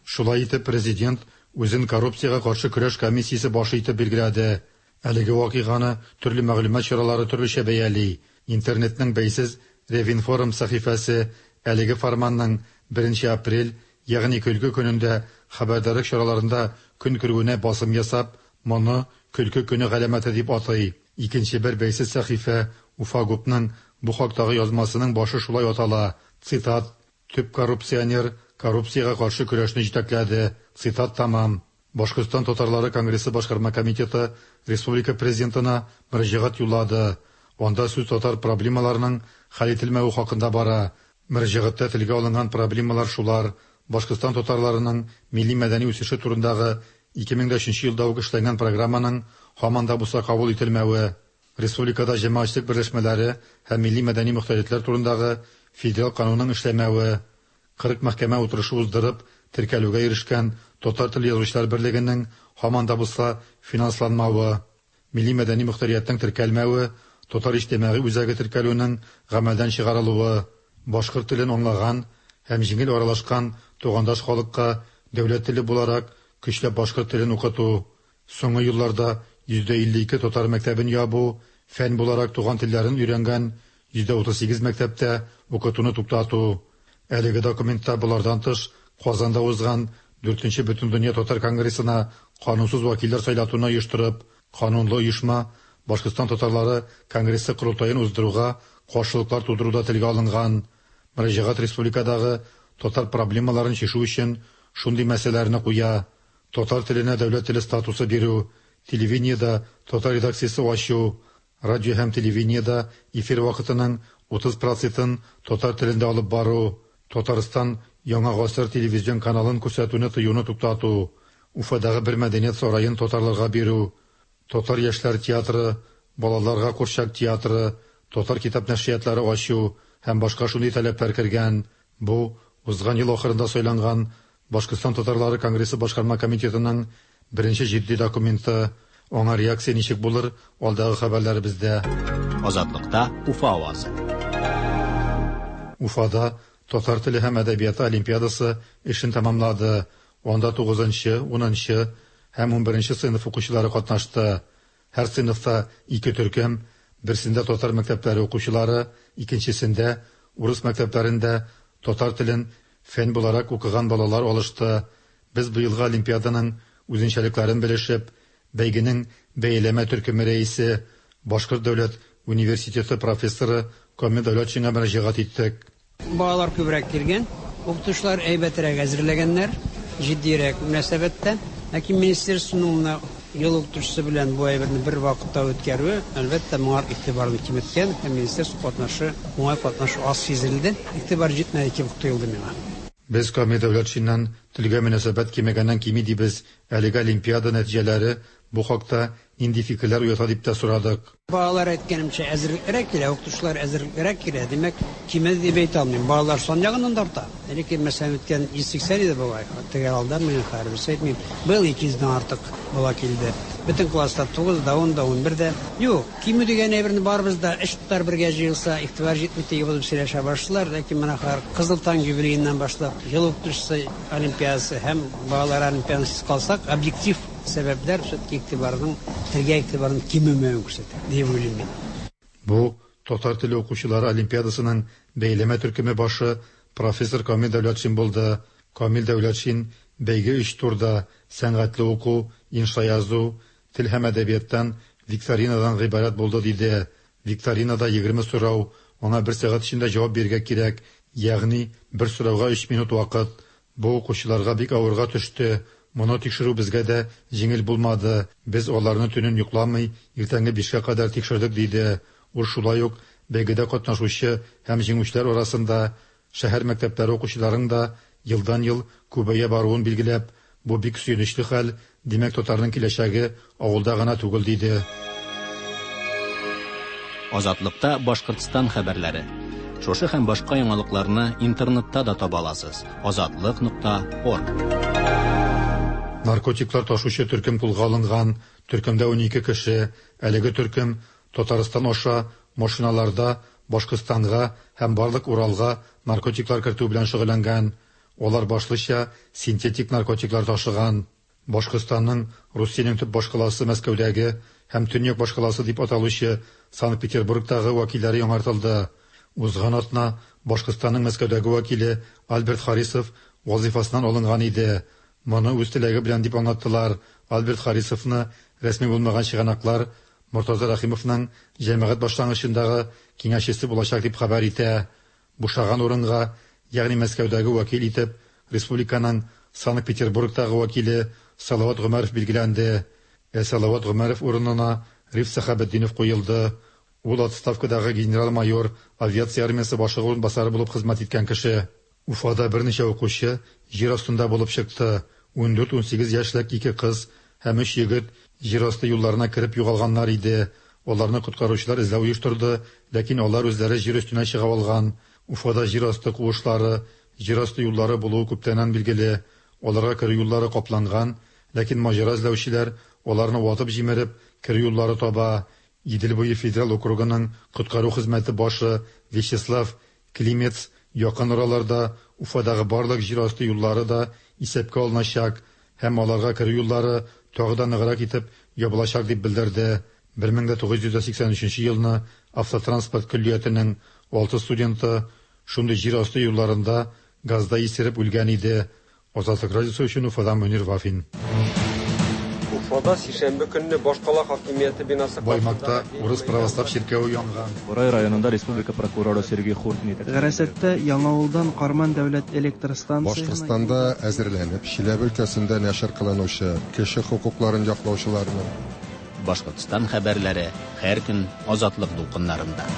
Шулай итеп президент үзен коррупциягә каршы көрәш комиссиясе башы итеп билгеләде. Әлеге вакыйганы төрле мәгълүмат чаралары төрлечә бәяли. Интернетның бәйсез Ревинформ сәхифәсе әлеге фарманның 1 апрель, ягъни көлке көнендә хәбәрдарлык чараларында көн күрүенә басым ясап, моны көлке көне галәмәте дип атый. Икенче бер бәйсез сәхифә Уфагупның бу хактагы язмасының башы шулай атала. Цитат: Төп коррупционер коррупциягә каршы көрәшне җитәкләде. Цитат тамам. Башкортстан татарлары конгрессы башкарма комитеты республика президентына мөрәҗәгать юллады. Анда сүз татар проблемаларының хәл ителмәве хакында бара. Мөрәҗәгатьтә телгә алынган проблемалар шулар: Башкортстан татарларының милли мәдәни үсеше турындагы 2003 елда ук эшләнгән программаның һаман да булса кабул ителмәве, республикада җәмәгатьчелек берләшмәләре һәм милли мәдәни мохтаритлар турындагы федераль канунның эшләмәве, 40 мәхкәмә утырышы уздырып, теркәлүгә ирешкән Татар теле язучылар берлегенең һаман да булса финансланмавы, милли мәдәни мохтариятның теркәлмәве, Татар иҗтимагый үзәге теркәлүнең гамәлдән чыгарылуы, башкорт телен аңлаган һәм җиңел аралашкан тугандаш халыкка дәүләт теле буларак көчләп башкорт телен укыту, соңгы елларда 52% татар мәктәбен ябу, фән буларак туган телләрен өйрәнгән 38% мәктәптә укытуны туктату. Әлеге документта болардан тыш Казанда узган Дүртенче Бөтендөнья татар конгрессына канунсыз вәкилләр сайлатуны оештырып, канунлы оешма Башкортстан татарлары конгрессы корылтаен уздыруга каршылыклар тудыру да телгә алынган. Мөрәҗәгать республикадагы татар проблемаларын чишү өчен шундый мәсьәләләрне куя, татар теленә дәүләт теле статусы бирү, телевидениедә татар редакциясе ачу, радио һәм телевидениедә эфир вакытының 30 процентын татар телендә алып бару, Татарстан Яңа гасыр телевизион каналын күрсәтүне тыюны туктату, Уфадагы бер мәдәният сараен татарларга бирү, татар яшьләр театры, балаларга курчак театры, татар китап нәшриятлары ачу һәм башка шундый таләпләр кергән. Бу, узган ел ахырында сайланган Башкортстан татарлары конгрессы башкарма комитетының беренче җитди документы. Аңа реакция ничек булыр, алдагы хәбәрләребездә. Азатлыкта Уфа авазы. Уфада татар теле һәм әдәбияты олимпиадасы эшен тәмамлады. Анда тугызынчы, унынчы һәм унберенче сыйныф укучылары катнашты. Һәр сыйныфта ике төркем, берсендә татар мәктәпләре укучылары, икенчесендә урыс мәктәпләрендә татар телен фән буларак укыган балалар алышты. Без быелгы олимпиаданың үзенчәлекләрен белешеп, бәйгенең бәяләмә төркеме рәисе, Башкорт дәүләт университеты профессоры Камил Дәүләтшинга мөрәҗәгать иттек. Балалар күбрәк килгән, укытучылар әйбәтрәк әзерләгәннәр, җитдиерәк мөнәсәбәттә. Ләкин министерствоның менә ел укытучысы белән бу әйберне бер вакытта үткәрүе, әлбәттә, моңар игътибарны киметкән һәм министерство катнашы, уңай катнашу аз сизелде. Игътибар җитмәде кебек тоелды миңа. Без Камил Дәүләтшиннан телгә мөнәсәбәт кимегәннән кими дибез, әлеге олимпиада нәтиҗәләре бу хакта нинди фикерләр уята дип тә сорадык. Балалар, әйткәнемчә, әзерлеклерәк килә, укытучылар әзерлеклерәк килә. Димәк, кимеде дип әйтә алмыйм. Балалар сан ягыннан да арта. Элекке, мәсәлән, үткән 180 иде бугай, төгәл алданмыйм, хәзер берсе әйтмим. Быел 200 дән артык бала килде. Бөтен класста 9 да, 10 да, 11 дә. Юк, кимү дигән әйберне барыбыз да өч татар бергә җыелса, игътибар җитми дип булып сөйләшә башлыйлар. Ләкин менә хәзер Кызыл таң юбилееннан башлап, Ел укытучысы олимпиадасы һәм балалар олимпиадасыз калсак, объектив Сәбәпләр все-таки игътибарның, телгә игътибарның кимемәвен күрсәтә, дип уйлыйм мин. Бу, татар теле укучылары олимпиадасының бәяләмә төркеме башы, профессор Камил Дәүләтшин булды. Камил Дәүләтшин бәйге өч турда, сәнгатьле уку, инша язу, тел һәм әдәбияттан викторинадан гыйбарәт булды, диде. Викторинада 20 сорау, аңа бер сәгать эчендә җавап бирергә кирәк, ягъни бер сорауга өч минут вакыт. Бу укучыларга бик авырга төште. Моны тикшерү безгә дә җиңел булмады. Без аларны төнен йокламый, иртәнге бишкә кадәр тикшердек, диде. Ул шулай ук бәйгедә катнашучы һәм җиңүчеләр арасында шәһәр мәктәпләре укучыларының да елдан-ел күбәя баруын билгеләп, бу бик сөенечле хәл, димәк, татарның киләчәге авылда гына түгел, диде. Азатлыкта Башкортстан хәбәрләре. Шушы һәм башка яңалыкларны интернетта да таба аласыз. Азатлык нокта орг. Наркотиклар ташучы төркем кулга алынган. Төркемдә 12 кеше. Әлеге төркем Татарстан аша машиналарда Башкортстанга һәм барлык Уралга наркотиклар кертү белән шөгыльләнгән. Алар башлыча синтетик наркотиклар ташыган. Башкортстанның Русиянең төп башкаласы Мәскәүдәге һәм төньяк башкаласы дип аталучы Санкт-Петербургтагы вәкилләре яңартылды. Узган атна Башкортстанның Мәскәүдәге вәкиле Альберт Харисов вазыйфасыннан алынган иде. Моны үз теләге белән дип аңлаттылар. Альберт Харисовны рәсми булмаган чыганаклар Мортаза Рәхимовның җәмәгать башлангычындагы киңәшчесе булачак дип хәбәр итә. Бушаган урынга, ягъни Мәскәүдәге вәкил итеп, республиканың Санкт-Петербургтагы вәкиле Салават Гомәров билгеләнде. Ә Салават Гомәров урынына Риф Сәхәбетдинов куелды. Ул отставкадагы генерал-майор, авиация армиясе башлыгы урынбасары булып хезмәт иткән кеше. Уфада берничә укучы җир астында булып чыкты. 14-18 яшьлек ике кыз һәм өч егет җир асты юлларына кереп югалганнар иде. Аларны коткаручылар эзләү оештырды, ләкин алар үзләре җир өстенә чыга алган. Уфада җир асты куышлары, җир асты юллары булуы күптәннән билгеле. Аларга керү юллары капланган, ләкин маҗара эзләүчеләр аларны ватып-җимереп, керү юллары таба. Идел буе федераль округының коткару хезмәте башы Вячеслав Климец якын араларда Уфадагы барлык җир асты юллары да исәпкә алыначак һәм аларга керү юллары тагы да ныграк итеп ябылачак дип белдерде. 1983 елны автотранспорт көллиятенең алты студенты шундый җир асты юлларында газда исереп үлгән иде. Азатлык радиосы өчен Уфадан Мөнир Вафин. Уфада сишәмбе көнне башкала хакимияте бинасы Баймакта урыс православ чиркәве янган. Борай районында республика прокуроры Сергей Хуртин Гарасатта Яңавылдан Карман дәүләт электр станциясенә Башкортстанда әзерләнеп, Чиләбе өлкәсендә нәшер кылынучы кеше хокукларын яклаучыларның Башкортстан хәбәрләре һәр көн Азатлык дулкыннарында.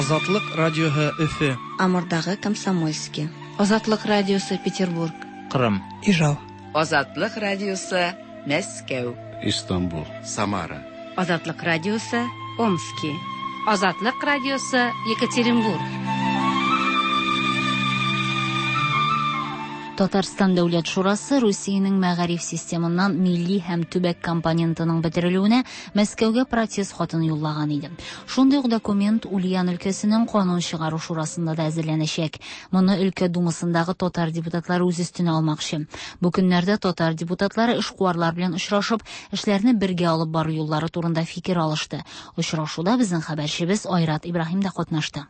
Азатлык радиоһы Өфе. Амурдагы Комсомольский. Азатлык радиосы Петербург. Кырым. Ижау. Азатлык радиосы Мәскәү. Истанбул. Самара. Азатлык радиосы Омски. Азатлык радиосы Екатеринбург. Татарстан Дәүләт Шурасы Русиянең мәгариф системыннан милли һәм төбәк компонентының бетерелүенә Мәскәүгә протест хатын юллаган иде. Шундый ук документ Ульян өлкәсенең канун чыгару шурасында да әзерләнәчәк. Моны өлкә думасындагы татар депутатлары үз өстенә алмакчы. Бу көннәрдә татар депутатлары эшкуарлар белән очрашып, эшләрне бергә алып бару юллары турында фикер алышты. Очрашуда безнең хәбәрчебез Айрат Ибраһим да катнашты.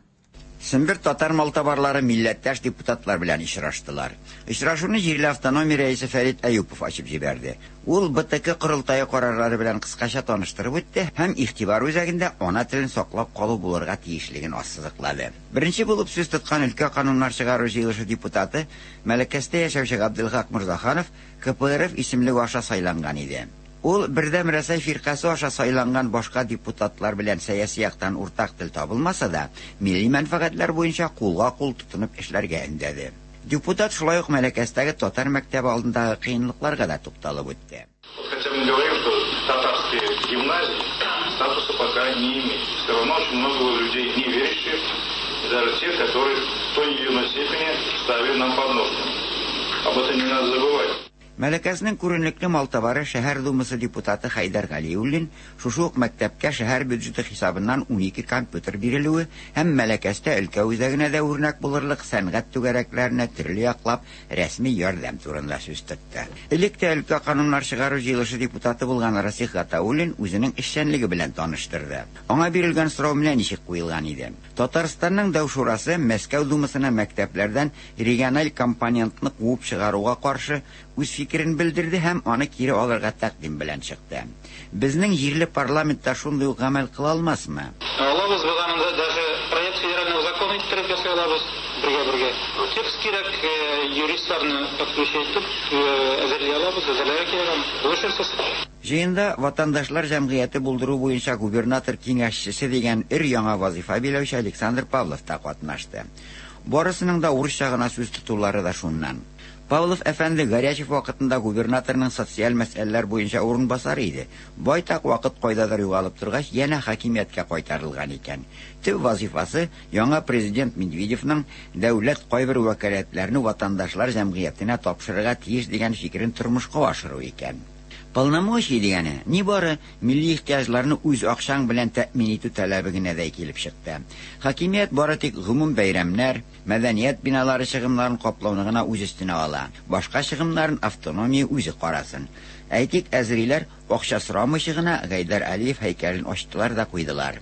Сембер татар малтабарлары милләттәш депутатлар белән очраштылар. Очрашуны җирле автономия рәисе Фәрит Әюпов ачып җибәрде. Ул БТК корылтае карарлары белән кыскача таныштырып үтте һәм игътибар үзәгендә ана телен саклап калу булырга тиешлеген ассызыклады. Беренче булып сүз тоткан өлкә кануннар чыгару җыелышы депутаты Мәләкәстә яшәүче Габделхак Морзаханов КПРФ исемлеге аша сайланган иде. Ул Бердәм Рәсәй фиркасе аша сайланган башка депутатлар белән сәяси яктан уртак тел табылмаса да, милли мәнфәгатьләр буенча кулга-кул тотынып эшләргә өндәде. Депутат шулай ук Мәләкәстәге татар мәктәбе алдындагы кыенлыкларга да тукталып үтте. Хотя мы говорим, что татарские гимназии статуса пока не имеют. Все равно очень много людей не верящих, даже тех, которые в той или иной степени ставили нам подножку. Об этом не надо забывать. Мәләкәснең күренекле малтабары шәһәр думасы депутаты Хәйдәр Галиуллин шушы ук мәктәпкә шәһәр бюджеты хисабыннан 12 компьютер бирелүе һәм Мәләкәстә өлкә үзәгенә дә үрнәк булырлык сәнгать түгәрәкләренә төрле яклап рәсми ярдәм турында сүз тотты. Элек тә өлкә кануннар чыгару җыелышы депутаты булган Расих Гатауллин үзенең эшчәнлеге белән таныштырды. Аңа бирелгән сорау менә ничек куелган иде. Татарстанның Дәү шурасы Мәскәү думасына мәктәпләрдән региональ компонентны куып чыгаруга каршы үз фикерен белдерде һәм аны кире алырга тәкъдим белән чыкты. Безнең җирле парламентта шундый ук гамәл кыла алмасмы? Алабыз без аны даже проект федерального закона иттереп ясый алабыз бергә-бергә. Текст кирәк, юристларны подключать итеп әзерли алабыз, әзерләргә кирәк аны. Булышырсыз. Җыенда ватандашлар җәмгыяте булдыру буенча губернатор киңәшчесе дигән өр-яңа вазифа биләүче Александр Павлов та катнашты. Барысының да урысча гына сүз тотулары да шуннан. Павлов әфәнде Горячев вакытында губернаторның социаль мәсьәләләр буенча урынбасары иде. Байтак вакыт кайдадыр югалып торгач, янә хакимияткә кайтарылган икән. Төп вазифасы яңа президент Медведевның дәүләт кайбер вәкаләтләрне ватандашлар җәмгыятенә тапшырырга тиеш дигән фикерен тормышка ашыру икән. Полномочий дигәне нибары милли ихтыяҗларны үз акчаң белән тәэмин итү таләбе генә дә килеп чыкты. Хакимият бары тик гомум бәйрәмнәр, мәдәният биналары чыгымнарын каплауны гына үз өстенә ала. Башка чыгымнарын автономия үзе карасын. Әйтик, әзериләр акча сорамыйча гына Гайдар Алиев һәйкәлен ачтылар да куйдылар.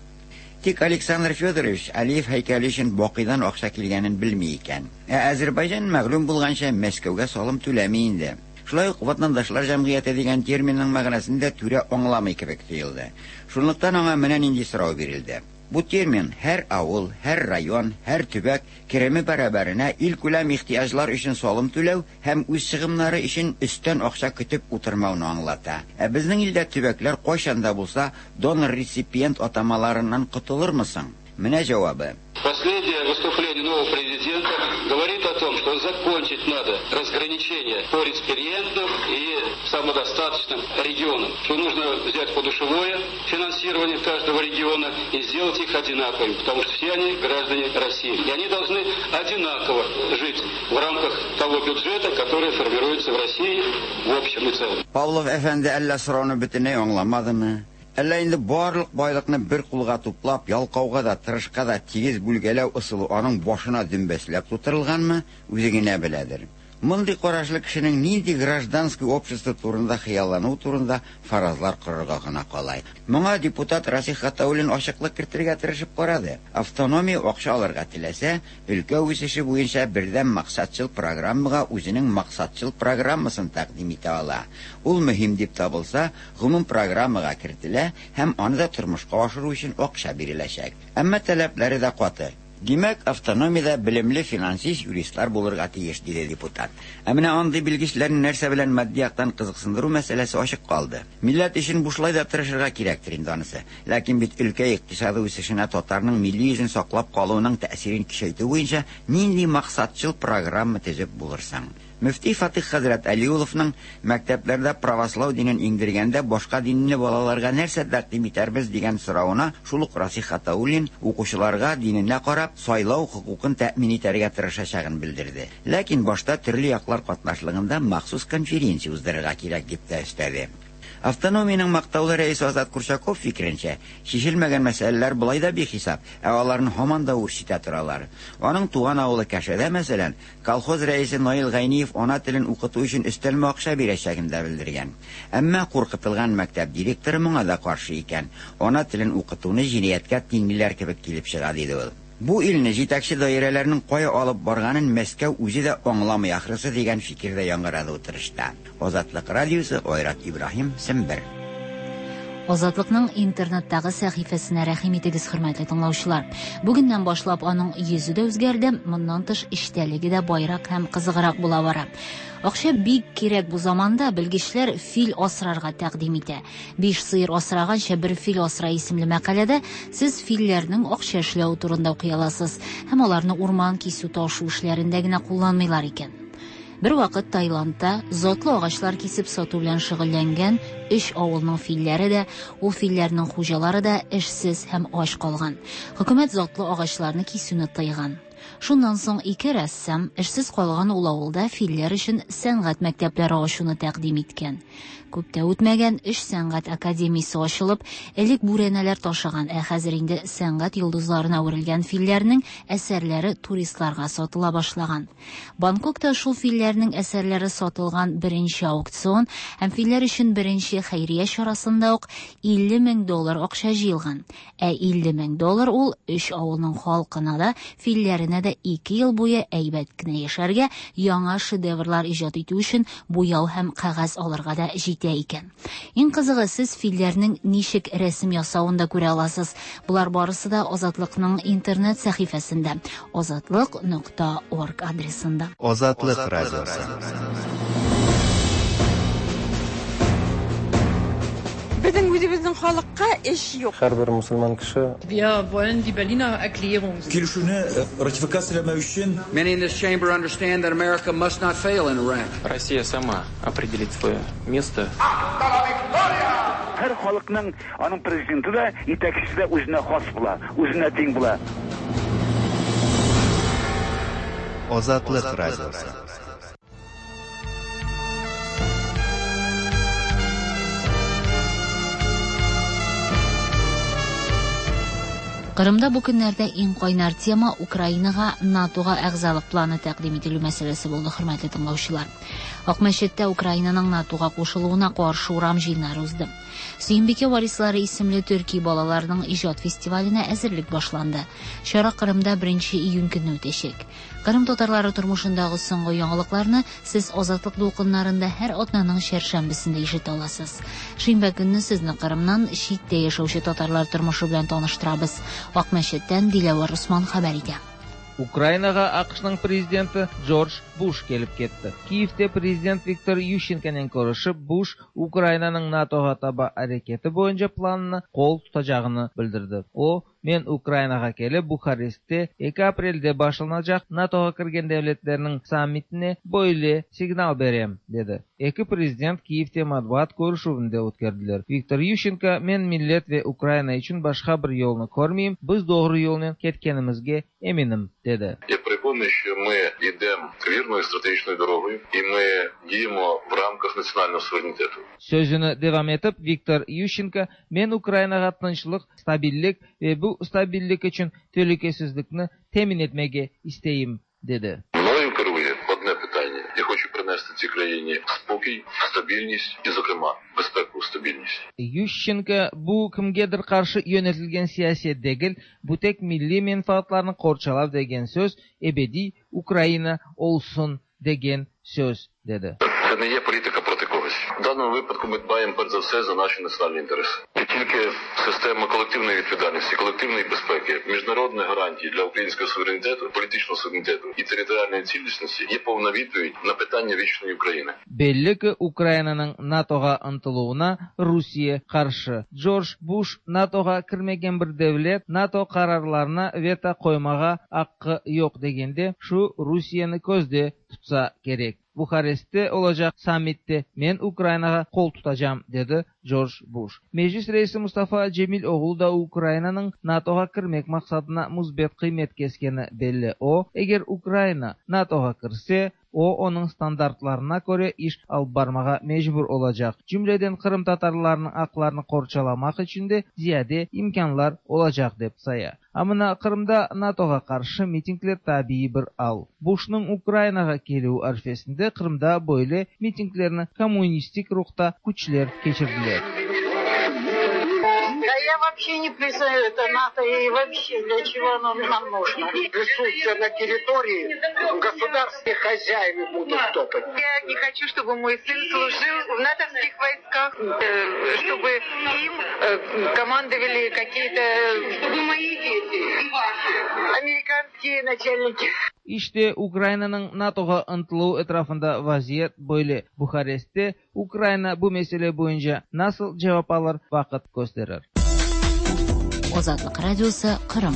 Тик Александр Федорович Алиев һәйкәле өчен Бакыйдан акча килгәнен белми икән. Ә Азербайҗан мәгълүм булганча Мәскәүгә салым түләми инде. Шулай ук ватандашлар җәмгыяте дигән терминның мәгънәсен дә түрә аңламый кебек тоелды. Шунлыктан аңа менә нинди сорау бирелде. Бу термин һәр авыл, һәр район, һәр төбәк кереме бәрабәренә илкүләм ихтыяҗлар өчен салым түләү һәм үз чыгымнары өчен өстән акча көтеп утырмауны аңлата. Ә безнең илдә төбәкләр кайчан да булса донор-реципиент атамаларыннан котылырмы соң? Менә җавабы. Последнее выступление нового президента говорит о том, что закончить надо разграничение по реципиентным и самодостаточным регионам. Что нужно взять подушевое финансирование каждого региона и сделать их одинаковыми, потому что все они граждане России. И они должны одинаково жить в рамках того бюджета, который формируется в России в общем и целом. Павлов әфәнде әллә сорауны бөтенләй аңламадымы? Әллә инде барлык байлыкны бер кулга туплап, ялкауга да, тырышка да тигез бүлгәләү ысулы аның башына дөмбәсләп тутырылганмы, үзе генә беләдер. Мондый карашлы кешенең нинди гражданский общество турында хыяллануы турында фаразлар корырга гына кала. Моңа депутат Расих Гатауллин ачыклык кертергә тырышып карады. Автономия акча алырга теләсә, өлкә үсеше буенча бердәм максатчыл программага үзенең максатчыл программасын тәкъдим итә ала. Ул мөһим дип табылса, гомум программага кертелә һәм аны да тормышка ашыру өчен акча биреләчәк. Әмма таләпләре дә каты. Димәк, автономиядә белемле финансист, юристлар булырга тиеш, диде депутат. Ә менә андый белгечләрне нәрсә белән матди яктан кызыксындыру мәсьәләсе ачык калды. Милләт өчен бушлай да тырышырга кирәктер инде анысы. Ләкин бит өлкә икътисады үсешенә татарның милли йөзен саклап калуының тәэсирен көчәйтү буенча нинди максатчыл программа төзеп булыр соң? Мөфти Фатыйх хәзрәт Әлиулловның мәктәпләрдә правослау динен иңдергәндә башка динне балаларга нәрсә тәкъдим итәрбез дигән соравына шул ук Расих Гатауллин укучыларга диненә карап сайлау хокукын тәэмин итәргә тырышачагын белдерде. Ләкин башта төрле яклар катнашлыгында махсус конференция уздырырга кирәк дип тә өстәде. Автономиянең мактаулы рәисе Азат Курчаков фикеренчә, чишелмәгән мәсьәләләр болай да бихисап, ә аларны һаман да үрчетә торалар. Аның туган авылы Кәшәдә, мәсәлән, колхоз рәисе Наил Гайниев ана телен укыту өчен өстәлмә акча бирәчәген дә белдергән. Әмма куркытылган мәктәп директоры моңа да каршы икән. Ана телен укытуны җинаятькә тиңлиләр кебек килеп чыга, диде ул. Бу илне җитәкче даирәләрнең кая алып барганын Мәскәү үзе дә аңламый ахрысы дигән фикер дә яңгырады утырышта. Азатлык радиосы, Айрат Ибраһим, Сембер. Азатлыкның интернеттагы сәхифәсенә рәхим итегез, хөрмәтле тыңлаучылар. Бүгеннән башлап аның йөзе дә үзгәрде, моннан тыш эчтәлеге дә байрак һәм кызыграк була бара. Акча бик кирәк бу заманда, белгечләр фил асрарга тәкъдим итә. Биш сыер асраганча бер фил асра исемле мәкаләдә сез филләрнең акча эшләве турында укый аласыз һәм аларны урман кисү ташу эшләрендә генә кулланмыйлар икән. Бервакыт Таиландта затлы агачлар кисеп сату белән шөгыльләнгән өч авылның филләре дә, ул филләрнең хуҗалары да эшсез һәм ач калган. Хөкүмәт затлы агачларны кисүне тыйган. Шуннан соң ике рәссам эшсез калган ул авылда филләр өчен сәнгать мәктәпләре ачуны тәкъдим иткән. Күп тә үтмәгән, өч сәнгать академиясе ачылып, элек бүрәнәләр ташыган, ә хәзер инде сәнгать йолдызларына әверелгән филләрнең әсәрләре туристларга сатыла башлаган. Бангкокта шул филләрнең әсәрләре сатылган беренче аукцион һәм филләр өчен беренче хәйрия чарасында ук 50 мең доллар акча җыелган. Ә 50 мең доллар ул өч авылның халкына да, филләренә дә ике ел буе әйбәт кенә яшәргә, яңа шедеврлар иҗат итү өчен буяу һәм кәгазь алырга да җитә икән. Иң кызыгы, сез филләрнең ничек рәсем ясавын да күрә аласыз. Болар барысы да Азатлыкның интернет сәхифәсендә азатлык нокта орг адресында. Азатлык радиосы. Безнең үзебезнең халыкка эш юк. Һәрбер мусульман кеше Wir wollen die Berliner Erklärung. Килешүне ратификацияләмәү өчен Many in this chamber understand that America must not fail in Iraq. Россия сама определит свое место. Һәр халыкның аның президенты да, итәкчесе дә үзенә хас була, үзенә тиң була. Азатлык радиосы. Кырымда бу көннәрдә иң кайнар тема Украинага НАТОга әгъзалык планы тәкъдим ителү мәсьәләсе булды, хөрмәтле тыңлаучылар. Акмәчеттә Украинаның НАТОга кушылуына каршы урам җыеннары узды. Сөембикә варислары исемле төрки балаларының иҗат фестиваленә әзерлек башланды. Чара Кырымда 1 июнь көнне үтәчәк. Кырым татарлары тормышындагы соңгы яңалыкларны сез Азатлык дулкыннарында һәр атнаның чәршәмбесендә ишетә аласыз. Шимбә көнне сезне Кырымнан читтә яшәүче татарлар тормышы белән таныштырабыз. Акмәчеттән Диләвәр Усман хәбәр итә. Украинаға АҚШ-ның президенті Джордж Буш келіп кетті. Киевте президент Виктор Ющенкомен көрішіп, Буш Украинаның НАТОға таба әрекеті бойынша планына қол тұтажағыны білдірді. О, мен Украинаға келіп, Бухарестте 2 апрельде башланacak НАТОға кірген дәулеттерінің саммитіне бөйле сигнал берем, деді. Екі президент Киевте матбуат көрішуінде өткерділер. Виктор Ющенко, мен миллет ве Украина үшін башқа бір yolunu көрмейм, біз doğru yolмен кеткенімізге емінім, деді. Я переконаний, що ми йдемо вірною стратегічною дорогою і ми діємо в рамках національного суверенітету. Сөзіні devam етіп, Виктор Ющенко, мен Украинаға тынычлық, стабиллік ве бұл стабиллік үшін телекесіздікні темін етмеге істейім, деді. Мною керує одне питання. Я хочу принести цій країні спокій, стабільність і, зокрема, безпекову стабільність. Ющенко bu kimgedir qarşı yönetilgen siyaset degil, bu tek milli menfaatlarını qorçalav degen söz, ebediy Ukraina olsun degen söz, dedi. Це не є політика проти когось. В даному випадку ми дбаємо перш за все за наші національні інтереси. І тільки система колективної відповідальності, колективної безпеки, міжнародних гарантій для українського суверенітету, політичного суверенітету і територіальної цілісності є повна відповідь на питання вічної України. Belli ki, Ukrainanıñ NATOğa ıntıluvına Rusiye qarşı. Jorj Bush NATOğa kirmegen bir devlet NATO qararlarına veto qoymağa aqqı yoq degende, şu Rusiyeni közde tutsa kerek. Buharestte olacaq sammitte men Ukrainağa qol tutacam, dedi Jorj Bush. Meclis reisi Mustafa Cemil oğlu da Ukrainanıñ NATOğa kirmek maqsadına müsbet qıymet keskeni belli. O, eger Ukraina NATOğa kirse, o, onıñ standartlarına köre iş alıp barmağa mecbur olacaq, cümleden qırımtatarlarnıñ aqlarını qorçalamaq içün de ziyade imkânlar olacaq, dep saya. A mına Qırımda NATOğa qarşı mitingler tabiiy bir al. Bushnıñ Ukrainağa kelüvi arfesinde Qırımda böyle mitinglerni kommunistik ruhta küçler keçirdiler. Да я вообще не признаю это НАТО и вообще для чего оно нам нужно. Присутствие на территории государственные хозяева будут топать. Я не хочу, чтобы мой сын служил в натовских войсках, чтобы им командовали какие-то, чтобы мои дети и ваши, американские начальники. İşte, Ukrainanıñ NATOğa ıntıluvı etrafında vaziyet böyle. Buharestte Ukraina bu mesele boyunca nasıl cevap alır, vaqıt kösterir. Azatlıq Radiosı, Qırım.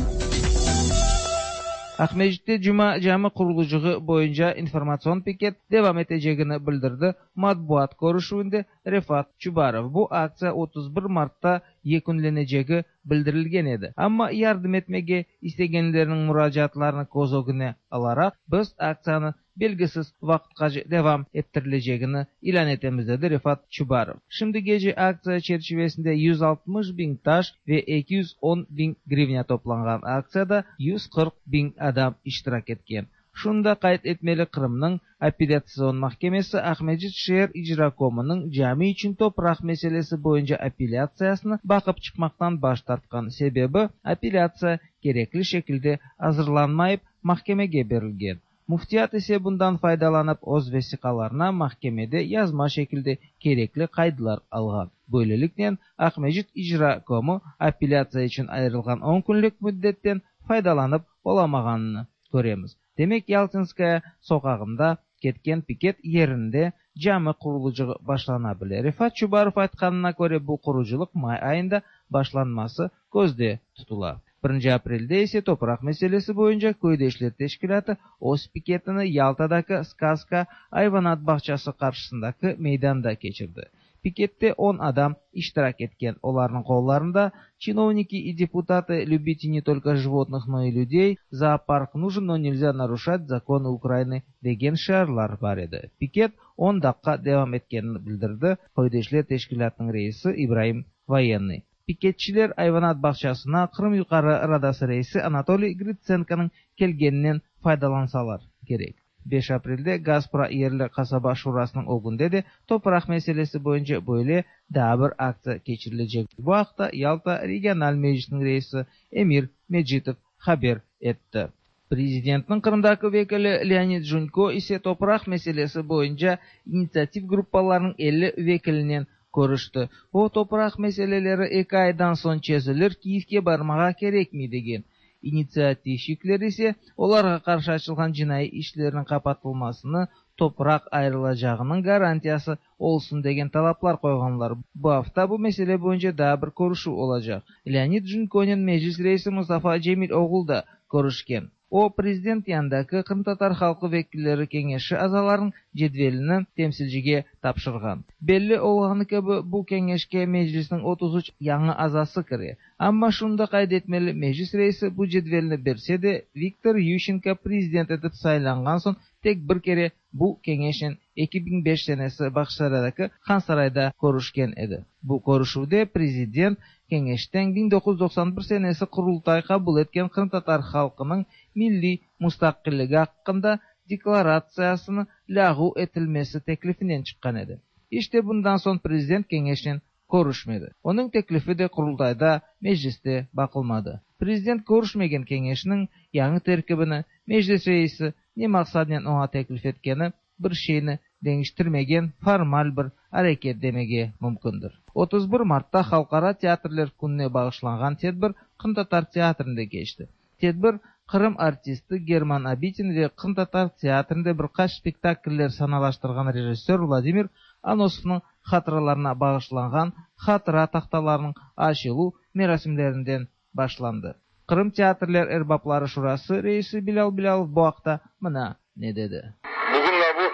Aqmescitte Cuma cami qurulıcığı boyunca informatsion piket devam etecegini bildirdi matbuat körüşüvinde Refat Çubarov. Bu aktsiya 31 martta yekünlenecegi bildirilgen edi. Amma yardım etmege istegenlerniñ muracaatlarını köz ögüne alaraq, biz aktsiyanı belgisiz vaqıtqace devam ettirilecegini ilân etemiz, dedi Refat Çubarov. Şimdigece aktsiya çerçivesinde 160 biñ taş ve 210 biñ grivnâ toplanğan. Aktsiyada 140 biñ adam iştirak etken. Şunı da qayd etmeli, Qırımnıñ Apellâtsion mahkemesi Aqmescit şeer icrakomınıñ cami içün topraq meselesi boyunca apellâtsiyasını baqıp çıqmaqtan baş tartqan. Sebebi, apellâtsiya kerekli şekilde azırlanmayıp mahkemege berilgen. Müftiyat ise bundan faydalanıp öz vesiqalarına mahkemede yazma şekilde kerekli qaydlar alğan. Böyleliknen, Aqmescit icrakomı apellâtsiya içün ayırılğan on künlik müddetten faydalanıp olamağanını köremiz. Demek, Yaltinskaya soqağında ketken piket yerinde cami qurulıcığı başlana bile. Refat Çubarov aytqanına köre, bu qurucılıq may ayında başlanması közde tutula. Birinci aprelde ise topraq meselesi boyunca Köydeşler teşkilâtı öz piketini Yaltadaki Skazka ayvanat bağçası qarşısındaki meydanda keçirdi. Pikette on adam iştirak etken, olarnıñ qollarında Чиновники и депутаты, любите не только животных, но и людей, Зоопарк нужен, но нельзя нарушать законы Украины degen şiarlar bar edi. Piket on daqqa devam etkenini bildirdi Köydeşler teşkilâtınıñ reisi İbraim Voyennıy. Piketçiler ayvanat bağçasına Qırım Yuqarı Radası reisi Anatoliy Gritsenkonıñ kelgeninen faydalansalar kerek. Beş aprelde Gaspra yerli qasaba şurasınıñ ögünde de topraq meselesi boyunca böyle daa bir aktsiya keçirilecek. Bu aqta Yalta regional meclisiniñ reisi Emir Mecitov haber etti. Prezidentniñ Qırımdaki vekili Leonid Junko ise topraq meselesi boyunca initsiativ gruppalarnıñ 50 vekilinen körüşti. O, topraq meseleleri eki aydan soñ çezilir, Kiyevge barmağa kerekmey degen. İnitsiativşikler ise olarğa qarşı açılğan cinaiy işlerniñ qapatılmasını, topraq ayırılacağınıñ garantiyası olsun degen talaplar qoyğanlar. Bu afta bu mesele boyunca daa bir körüşüv olacaq. Leonid Junkonen Meclis reisi Mustafa Cemil oğlu da körüşken. O, prezident yanındaki Qırımtatar halqı vekilleri keñeşi azalarınıñ cedvelini temsilcige tapşırğan. Belli olğanı kibi, bu keñeşke Meclisniñ 33 yañı azası kire. Amma şunı da qayd etmeli, Meclis reisi bu cedvelni berse de, Viktor Yuşçenko prezident etip saylanğan soñ tek bir kere bu keñeşnen 2005 senesi Bağçasaraydaki Hansarayda körüşken edi. Bu körüşüvde prezident keñeşten 1991 senesi Qurultay qabul etken Qırımtatar halqınıñ milliy mustaqilligi aqqında deklaratsiyasını lâğu etilmesi teklifinen çıqqan edi. İşte bundan soñ prezident keñeşnen körüşmedi. Onıñ teklifi de Qurultayda, Mecliste baqılmadı. Prezident körüşmegen keñeşniñ yañı terkibini Meclis reisi ne maqsadnen oña teklif etkeni bir şeyni deñiştirmegen formal bir areket demege mümkündir. 31 martta Halqara teatrler kününe bağışlanğan tedbir Qırımtatar teatrinde keçti. Tedbir Qırım artisti German Abitin ve Qırımtatar teatrinde bir qaç spektakller sanalaştırğan rejissör Vladimir Anosovnıñ hatıralarına bağışlanğan hatıra tahtalarınıñ açıluv merasimlerinden başlandı. Qırım teatrler erbapları şurası reisi Bilâl Bilâlov bu aqta mına ne dedi. Bugün mına bu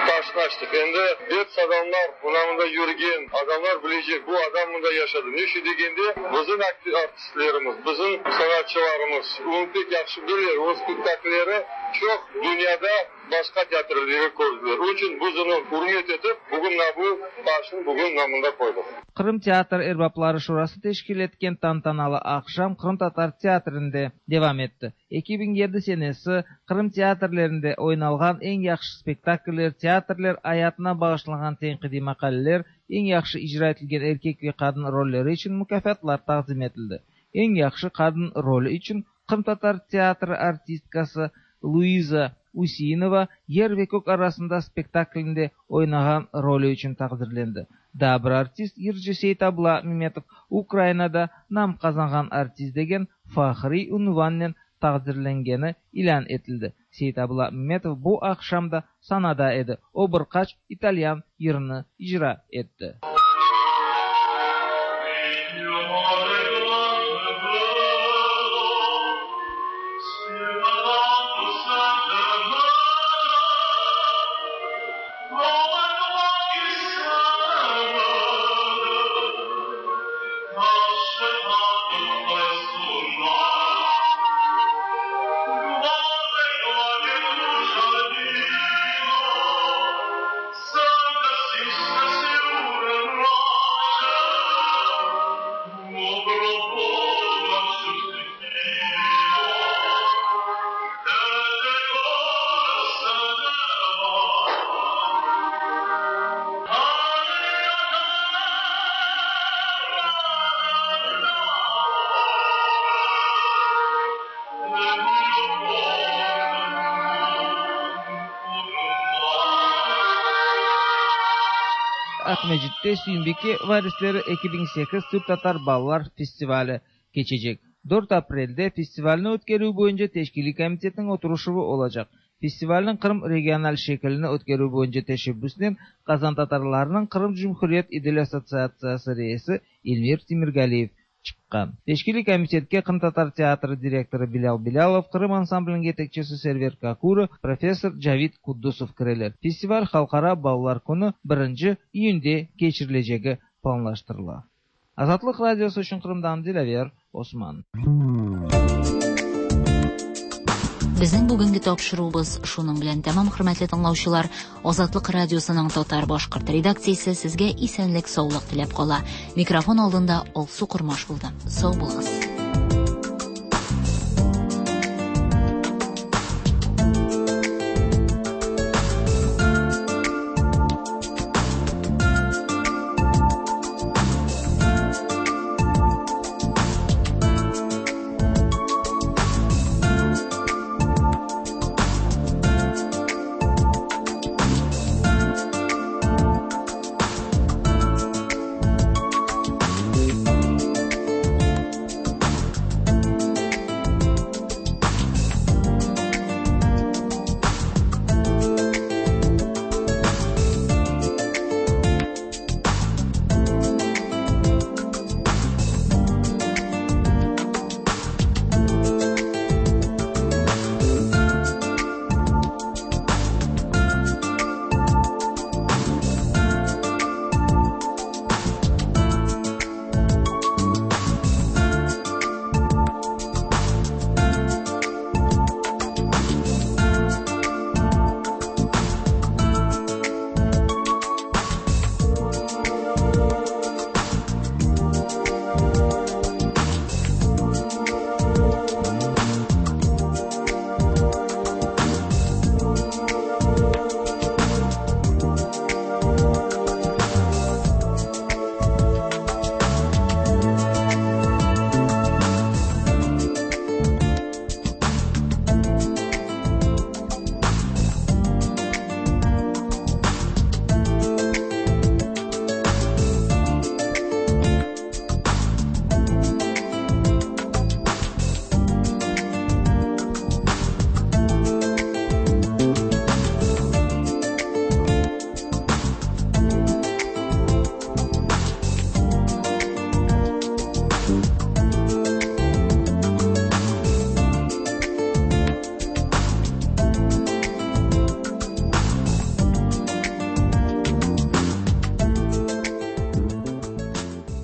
taşnı açtıq. Endi dert adamlar, mına mında yürgen adamlar bilecek, bu adam mında yaşadı. Ne içün degende, bizim artistlerimiz, bizim sanatçılarımız onı pek yahşı bileler, onıñ spektaklleri çoq dünyada başqa teatrlerde kördiler. Onıñ içün biz onı ürmet etip, bugün mına bu taşnı bugün mına mında qoydıq. Qırım teatr erbapları şurası teşkil etken tantanalı aqşam Qırımtatar teatrinde devam etti. 2007 senesi Qırım teatrlerinde oynalğan eñ yahşı spektakller, teatrler ayatına bağışlanğan tenqidiy maqaleler, eñ yahşı icra etilgen erkek ve qadın rolleri içün mukâfatlar taqdim etildi. Eñ yahşı qadın rolü içün Qırımtatar teatri artistkası Luiza Useinova Yer ve kök arasında spektaklinde oynağan rolü içün taqdirlendi. Daa bir artist, yırcı Seytabla Memetov Ukrainada nam qazanğan artist degen fahriy unvannen taqdirlengeni ilân etildi. Seytabla Memetov bu aqşam da sanada edi, o bir qaç italyan yırını icra etti. Aqmescitte Süyümbike varisleri 2008 türk-tatar balalar festivali keçecek. 4 aprelde festivalni ötkerüv boyunca teşkiliy komitetniñ oturışuvı olacaq. Festivalniñ Qırım regional şekilini ötkerüv boyunca teşebbüsnen qazantatarlarnıñ Qırım Cumhuriyet İdil assotsiatsiyası reisi Elmir Temirgaliyev çıqqan. Teşkiliy komitetke Qırımtatar teatri direktorı Bilâl Bilâlov, Qırım ansambliniñ yetekçisi Server Kakura, professor Cavid Kuddusov kireler. Festival Halqara balalar künü, birinci iyünde keçirilecegi planlaştırıla. Azatlıq Radiosı içün Qırımdan Dilâver Osman. Безнең бүгенге тапшыруыбыз шуның белән тәмам, хөрмәтле тыңлаучылар. Азатлык радиосының татар-башкорт редакциясе сезгә исәнлек-саулык теләп кала. Микрофон алдында Алсу Кормаш булды. Сау булыгыз.